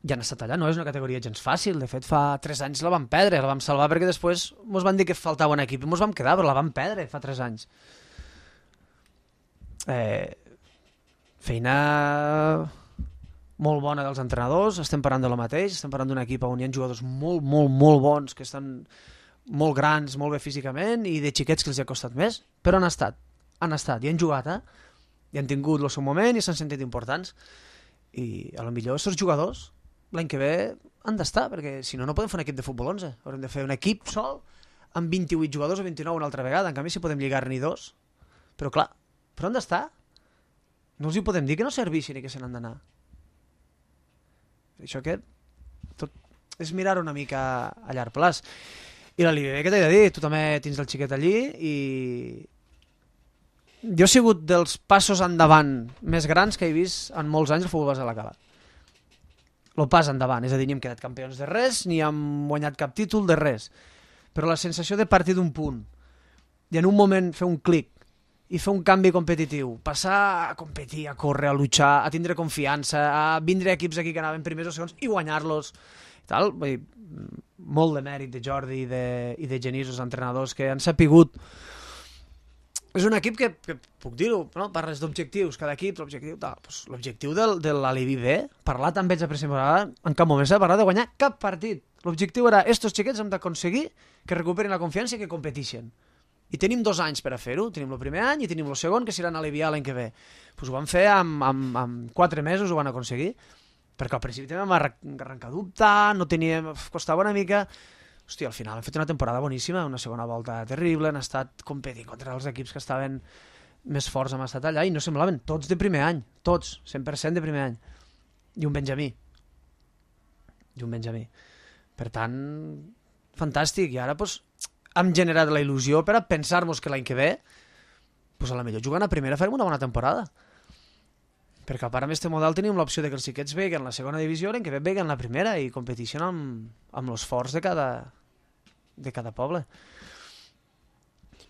I han estat allà, no és una categoria gens fàcil. De fet, fa tres anys la vam perdre, la vam salvar perquè després ens van dir que faltava un equip i ens vam quedar, però la vam perdre fa tres anys. Eh... Feina molt bona dels entrenadors, estem parlant de lo mateix, estem parlant d'un equip on hi ha jugadors molt, molt, molt bons, que estan molt grans, molt bé físicament, i de xiquets que els ha costat més, però han estat, han estat, i han jugat, eh? I han tingut el seu moment i s'han sentit importants. I a lo millor aquests jugadors l'any que ve han d'estar, perquè si no, no podem fer un equip de futbol onze, haurem de fer un equip sol amb vint-i-vuit jugadors o vint-i-nou una altra vegada, en canvi si podem lligar-n'hi dos, però clar, però han d'estar. No els hi podem dir que no serveixin i que se n'han d'anar. Això que tot és mirar una mica a llarg plaç. I la Libé, què t'he de dir? Tu també tens el xiquet allí i jo he sigut dels passos endavant més grans que he vist en molts anys el futbol base de la Cala. El pas endavant, és a dir, ni hem quedat campions de res, ni hem guanyat cap títol de res. Però la sensació de partir d'un punt i en un moment fer un clic i fer un canvi competitiu, passar a competir, a córrer, a luchar, a tindre confiança, a vindre equips aquí que anaven primers o segons i guanyar-los. Tal. Vull dir, molt de mèrit de Jordi i de, i de Genís, els entrenadors, que han sapigut. És un equip que, que puc dir-ho, no? Parles d'objectius, cada equip, l'objectiu, tal. Pues, l'objectiu del, de l'Alibi B, parlar també ells a pretemporada, en cap moment s'ha parlat de guanyar cap partit. L'objectiu era, estos xiquets hem d'aconseguir que recuperin la confiança i que competixen. I tenim dos anys per a fer-ho, tenim el primer any i tenim el segon, que seran aliviar l'any que ve. Pues ho van fer amb, amb, amb quatre mesos, ho van aconseguir, perquè al principi també vam arrencar a dubtar, no teníem, costava una mica. Hòstia, al final hem fet una temporada boníssima, una segona volta terrible, han estat competint contra els equips que estaven més forts, hem estat allà, i no semblaven tots de primer any, tots, cent per cent de primer any. I un Benjamí. I un Benjamí. Per tant, fantàstic, i ara, doncs, hem generat la il·lusió per a pensar-nos que l'any que ve pues a la millor jugant a primera farem una bona temporada, perquè a part amb aquest model tenim l'opció de que els xiquets veguen la segona divisió, l'any que ve veguen la primera i competeixen amb, amb els forts de cada, de cada poble.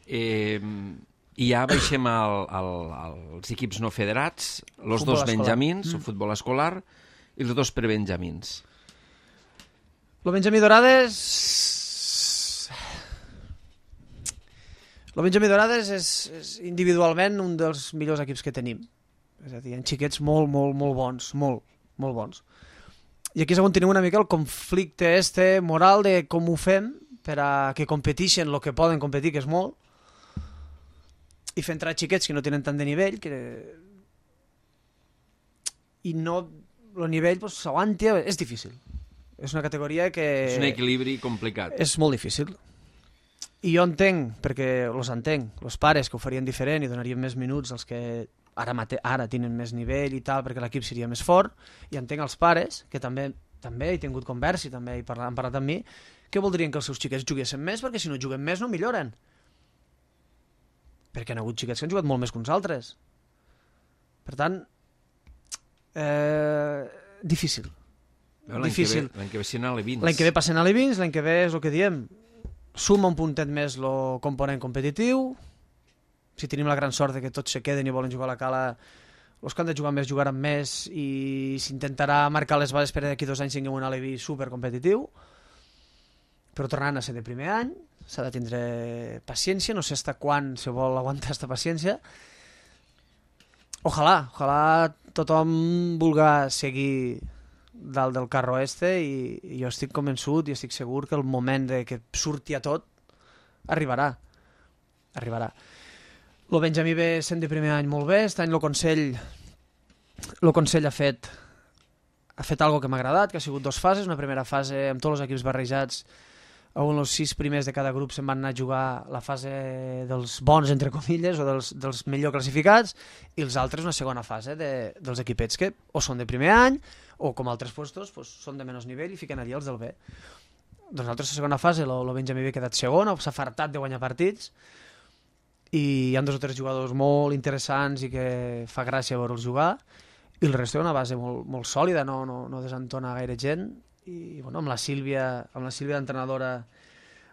Eh, I ja baixem al, al, als equips no federats, els dos benjamins, mm. el futbol escolar i els dos prebenjamins. El Benjamí Dorades... El Benjamí Dorades és, és individualment un dels millors equips que tenim. És a dir, hi ha xiquets molt, molt, molt bons, molt, molt bons. I aquí és on tenim una mica el conflicte este moral de com ho fem per a que competeixen el que poden competir, que és molt, i fer entrar xiquets que no tenen tant de nivell, que... i no... el nivell pues, s'aguanti, és difícil. És una categoria que... És un equilibri complicat. És molt difícil. I jo entenc, perquè els entenc, els pares que ho farien diferent i donarien més minuts als que ara, mate, ara tenen més nivell i tal, perquè l'equip seria més fort, i entenc els pares, que també també he tingut conversa i també he parlat, han parlat amb mi, que voldrien que els seus xiquets juguessin més, perquè si no juguen més no milloren. Perquè han hagut xiquets que han jugat molt més que uns altres. Per tant, eh, difícil. L'any difícil. Que ve, l'any que ve sent a l'Evins. L'any que ve passen a l'Evins, l'any que ve és el que diem, suma un puntet més el component competitiu, si tenim la gran sort de que tots se queden i volen jugar a la Cala, els que han de jugar més jugaran més i s'intentarà marcar les bases per d'aquí dos anys tinguem un Alevi supercompetitiu, però tornant a ser de primer any s'ha de tindre paciència, no sé fins quan se vol aguantar aquesta paciència. Ojalà, ojalà tothom vulga seguir dalt del carro este i, i jo estic convençut i estic segur que el moment de que surti a tot arribarà. Arribarà. El Benjamí ve sent de primer any molt bé, aquest any el Consell, el Consell ha fet ha fet algo que m'ha agradat, que ha sigut dues fases, una primera fase amb tots els equips barrejats, on els sis primers de cada grup se'n van anar a jugar la fase dels bons, entre comilles, o dels, dels millor classificats, i els altres una segona fase de, dels equipets que o són de primer any, o com altres puestos, pues, són de menys nivell i fiquen allà els del B. Doncs l'altra segona fase, el Benjamí ha quedat segon, s'ha fartat de guanyar partits, i hi ha dos o tres jugadors molt interessants i que fa gràcia veure'ls jugar, i el resto és una base molt, molt sòlida, no, no, no desentona gaire gent, i bueno, amb la Sílvia, amb la Sílvia d'entrenadora,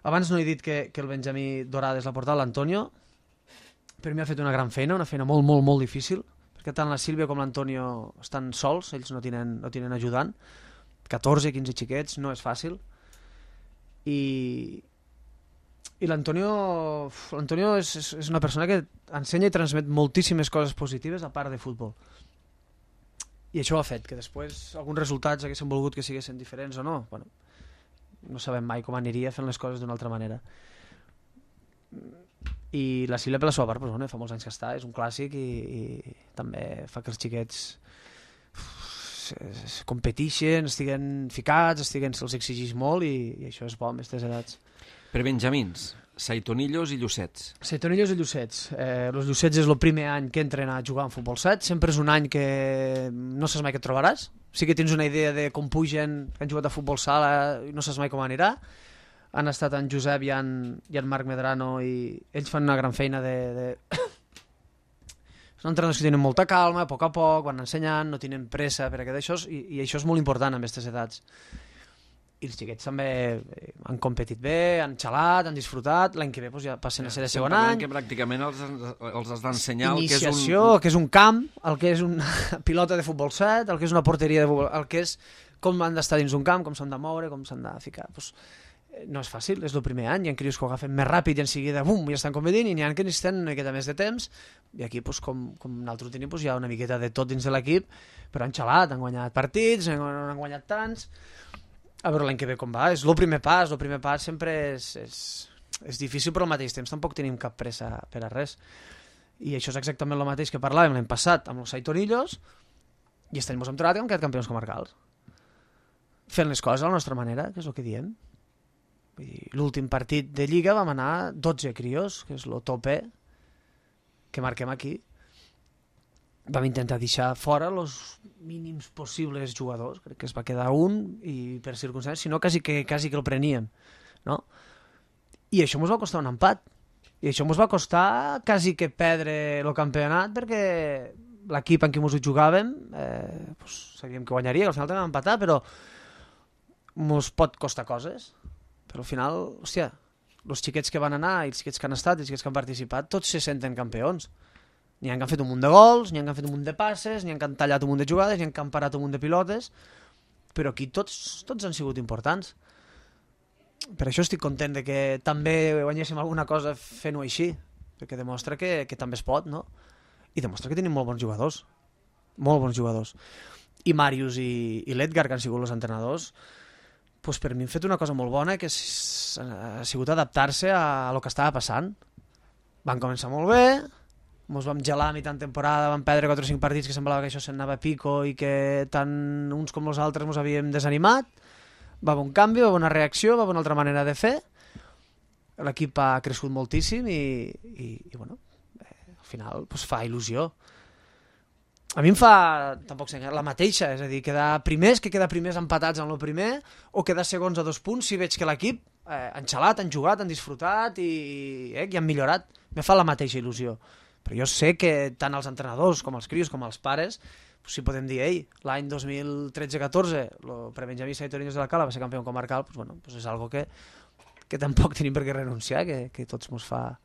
abans no he dit que, que el Benjamí Dorades l'ha portat l'Antonio, per mi ha fet una gran feina, una feina molt, molt, molt difícil, perquè tant la Sílvia com l'Antonio estan sols, ells no tenen, no tenen ajudant, catorze quinze xiquets, no és fàcil, i... I l'Antonio l'Antonio és, és una persona que ensenya i transmet moltíssimes coses positives a part de futbol. I això ho ha fet, que després alguns resultats haguessin volgut que siguessin diferents o no. Bueno, no sabem mai com aniria fent les coses d'una altra manera. I la Sílvia per la seva part, doncs, bueno, fa molts anys que està, és un clàssic i, i també fa que els xiquets uf, competeixen, estiguen ficats, estiguen, se'ls exigeix molt i, i això és bo amb aquestes edats. Per Benjamins, Saitonillos i Llucets. Saitonillos i Llucets. Eh, els Llucets és el primer any que entren a jugar en futbol set. Sempre és un any que no saps mai què et trobaràs. Sí que tens una idea de com pugen, que han jugat a futbol sala i no saps mai com anirà. Han estat en Josep i en, i en Marc Medrano i ells fan una gran feina de... de... Són entrenadors que tenen molta calma, a poc a poc, van ensenyant, no tenen pressa per a això, i, i això és molt important en aquestes edats. I els xiquets també han competit bé, han xalat, han disfrutat, l'any que ve doncs, ja passen a ser de segon any. Que pràcticament els, els has d'ensenyar el que és un... Iniciació, el que és un camp, el que és una pilota de futbol set, el que és una porteria de futbol, el que és com han d'estar dins un camp, com s'han de moure, com s'han de ficar. Pues, no és fàcil, és el primer any, hi ha crios que ho agafen més ràpid i en seguida, bum, ja estan competint, i n'hi ha que necessiten una miqueta més de temps, i aquí, pues, com, com nosaltres tenim, pues, hi ha una miqueta de tot dins de l'equip, però han xalat, han guanyat partits, no han guanyat tants. A veure l'any que ve com va, és el primer pas, el primer pas sempre és, és, és difícil, però al mateix temps tampoc tenim cap pressa per a res. I això és exactament el mateix que parlàvem l'any passat amb els Saitonillos, i aquest any ens hem trobat que hem quedat campions comarcals. Fent les coses a la nostra manera, que és el que diem. L'últim partit de Lliga vam anar dotze crios, que és el tope que marquem aquí. Vam intentar deixar fora els mínims possibles jugadors, crec que es va quedar un i per circumstàncies, si no quasi que, quasi que el preníem, no? I això ens va costar un empat, i això ens va costar quasi que perdre el campionat, perquè l'equip en què ens ho jugàvem eh, pues, sabíem que guanyaria, que al final també vam empatar, però ens pot costar coses, però al final, hòstia, els xiquets que van anar, i els xiquets que han estat, i els xiquets que han participat, tots se senten campions. N'hi ha que han fet un munt de gols, n'hi ha que han fet un munt de passes, n'hi ha que han tallat un munt de jugades, n'hi ha que han parat un munt de pilotes, però aquí tots, tots han sigut importants. Per això estic content de que també guanyéssim alguna cosa fent-ho així, perquè demostra que, que també es pot, no? I demostra que tenim molt bons jugadors, molt bons jugadors. I Màrius i, i l'Edgar, que han sigut els entrenadors, doncs per mi han fet una cosa molt bona, que ha sigut adaptar-se a, a lo que estava passant. Van començar molt bé, ens vam gelar a mitjan temporada, vam perdre quatre o cinc partits que semblava que això s'anava a pico i que tant uns com els altres ens havíem desanimat. Va haver un canvi, va haver una reacció, va haver una altra manera de fer. L'equip ha crescut moltíssim i, i, i bueno, eh, al final pues, fa il·lusió. a mi em fa, tampoc sé, la mateixa, és a dir, quedar primers, que quedar primers empatats en el primer, o quedar segons a dos punts si veig que l'equip eh, han xalat, han jugat, han disfrutat i, eh, i han millorat. Me fa la mateixa il·lusió. Però jo sé que tant els entrenadors com els crios com els pares, pues, si podem dir, ei, l'any dos mil tretze catorze el prebenjamí Saitorinos de la Cala va ser campió comarcal, pues, bueno, pues és algo que, que tampoc tenim per què renunciar, que, que tots mos fa,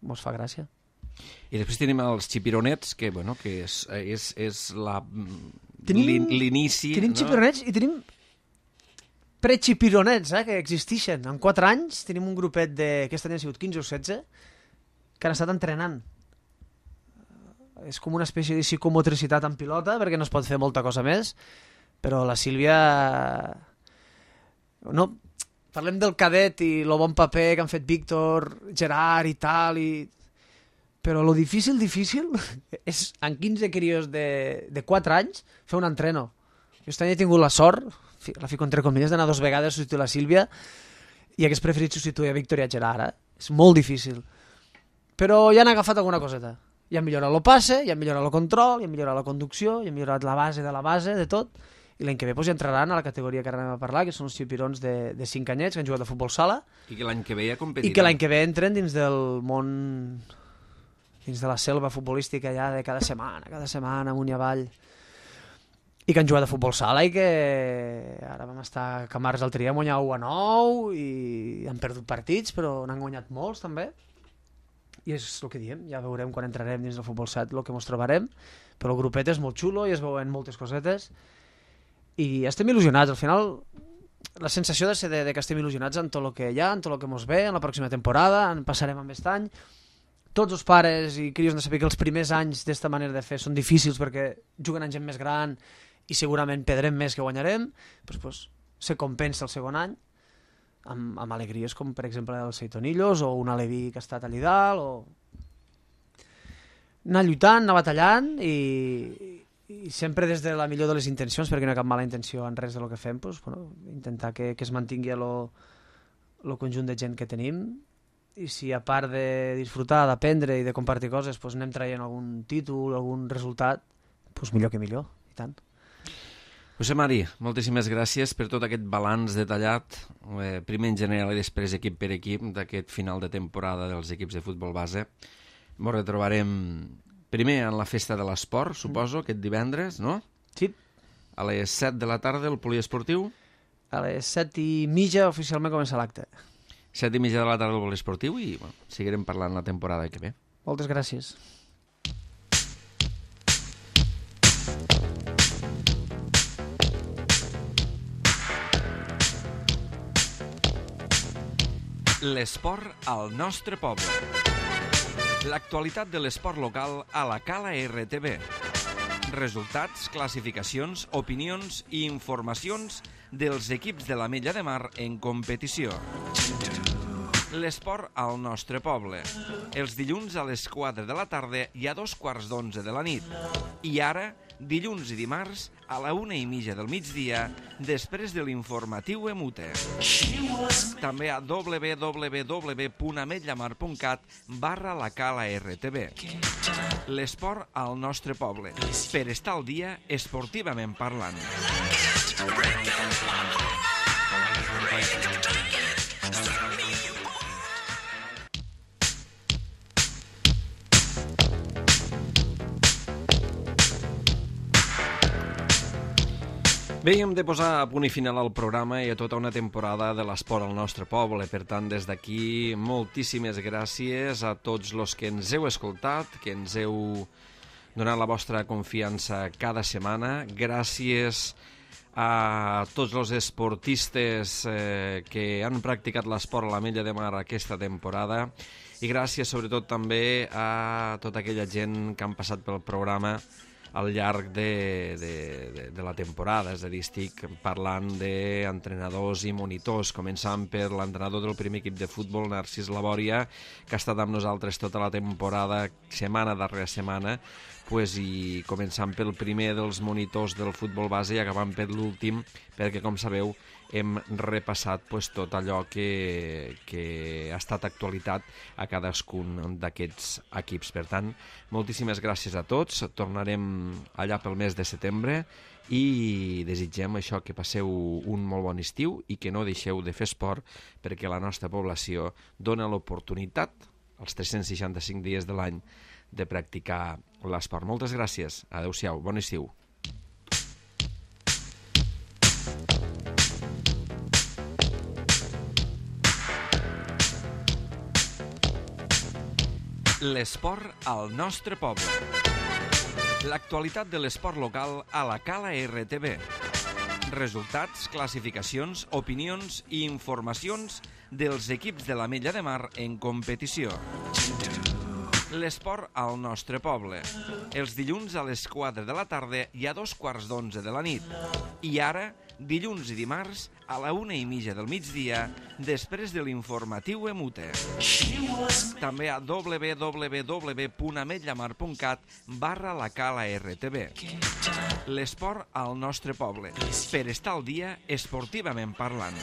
mos fa gràcia. I després tenim els xipironets, que, bueno, que és, és, és la, Tenim- l'inici... Tenim no? xipironets i tenim prexipironets, eh, que existeixen. En quatre anys tenim un grupet de, aquest any han sigut quinze o setze, que han estat entrenant. És com una espècie de psicomotricitat en pilota, perquè no es pot fer molta cosa més, però la Sílvia... No, parlem del cadet i el bon paper que han fet Víctor, Gerard i tal, i... però lo difícil, difícil, és en quinze crios de, de quatre anys fer un entreno. Jo aquest any he tingut la sort, fi- la fico entre comilles, d'anar dos vegades a substituir la Sílvia i hagués preferit substituir a Víctor i a Gerard, eh? És molt difícil. Però ja han agafat alguna coseta. Ja han millorat el passe, ja han millorat el control, ja han millorat la conducció, ja han millorat la base de la base, de tot. I l'any que ve doncs, ja entraran a la categoria que ara anem a parlar, que són els xipirons de, de cinc anyets que han jugat a futbol sala I que l'any que ve ja competiran. i que l'any que ve entren dins del món, dins de la selva futbolística ja de cada setmana, cada setmana, amunt i avall. I que han jugat a futbol sala i que ara vam estar a Camarles l'altre dia, han guanyat u a nou i han perdut partits, però n'han guanyat molts també. I és el que diem, ja veurem quan entrarem dins del futbol set el que ens trobarem, però el grupet és molt xulo i es veuen moltes cosetes i estem il·lusionats. Al final la sensació de ser de, de que estem il·lusionats en tot el que hi ha, en tot el que ens ve, en la pròxima temporada, en passarem amb aquest any. Tots els pares i crios han de saber que els primers anys d'esta manera de fer són difícils perquè juguen amb gent més gran i segurament perdrem més que guanyarem, doncs, doncs, se compensa el segon any amb, amb alegries com per exemple el Seitonillos o un Aleví que ha estat allà dalt, o anar lluitant, anar batallant i, i sempre des de la millor de les intencions, perquè no hi ha cap mala intenció en res del que fem, doncs, bueno, intentar que, que es mantingui el conjunt de gent que tenim i si a part de disfrutar, d'aprendre i de compartir coses doncs anem traient algun títol, algun resultat, doncs millor que millor, i tant. José Mari, moltíssimes gràcies per tot aquest balanç detallat, eh, primer en general i després equip per equip, d'aquest final de temporada dels equips de futbol base. Ens retrobarem primer en la Festa de l'Esport, suposo, aquest divendres, no? Sí. A les set de la tarda, el poliesportiu. A les set i mitja oficialment comença l'acte. set i mitja de la tarda, el poliesportiu, i bueno, seguirem parlant la temporada que ve. Moltes gràcies. L'esport al nostre poble. L'actualitat de l'esport local a la Cala R T V. Resultats, classificacions, opinions i informacions dels equips de l'Ametlla de Mar en competició. L'esport al nostre poble. Els dilluns a les quatre de la tarda i a dos quarts d'onze de la nit. I ara, dilluns i dimarts, a la una i mitja del migdia, després de l'informatiu Emute. També a w w w punt ametllamar punt cat barra la Cala R T V. L'esport al nostre poble. Per estar al dia, esportivament parlant. Bé, hem de posar a punt i final al programa i a tota una temporada de l'esport al nostre poble. Per tant, des d'aquí, moltíssimes gràcies a tots els que ens heu escoltat, que ens heu donat la vostra confiança cada setmana. Gràcies a tots els esportistes eh, que han practicat l'esport a l'Ametlla de Mar aquesta temporada i gràcies sobretot també a tota aquella gent que han passat pel programa al llarg de, de, de, de la temporada, és a dir, estic parlant d'entrenadors i monitors, començant per l'entrenador del primer equip de futbol, Narcís Labòria, que ha estat amb nosaltres tota la temporada, setmana darrere setmana, pues, i començant pel primer dels monitors del futbol base i acabant per l'últim, perquè, com sabeu, hem repassat pues, tot allò que, que ha estat actualitat a cadascun d'aquests equips. Per tant, moltíssimes gràcies a tots. Tornarem allà pel mes de setembre i desitgem això, que passeu un molt bon estiu i que no deixeu de fer esport, perquè la nostra població dona l'oportunitat els tres-cents seixanta-cinc dies de l'any de practicar l'esport. Moltes gràcies. Adéu-siau. Bon estiu. L'esport al nostre poble. L'actualitat de l'esport local a la Cala R T V. Resultats, classificacions, opinions i informacions dels equips de l'Ametlla de Mar en competició. L'esport al nostre poble. Els dilluns a les quatre de la tarda i a dos quarts d'onze de la nit. I ara, dilluns i dimarts, a la una i mitja del migdia, després de l'informatiu Emute. També a w w w punt ametllamar punt cat barra la Cala R T V. L'esport al nostre poble, per estar al dia esportivament parlant.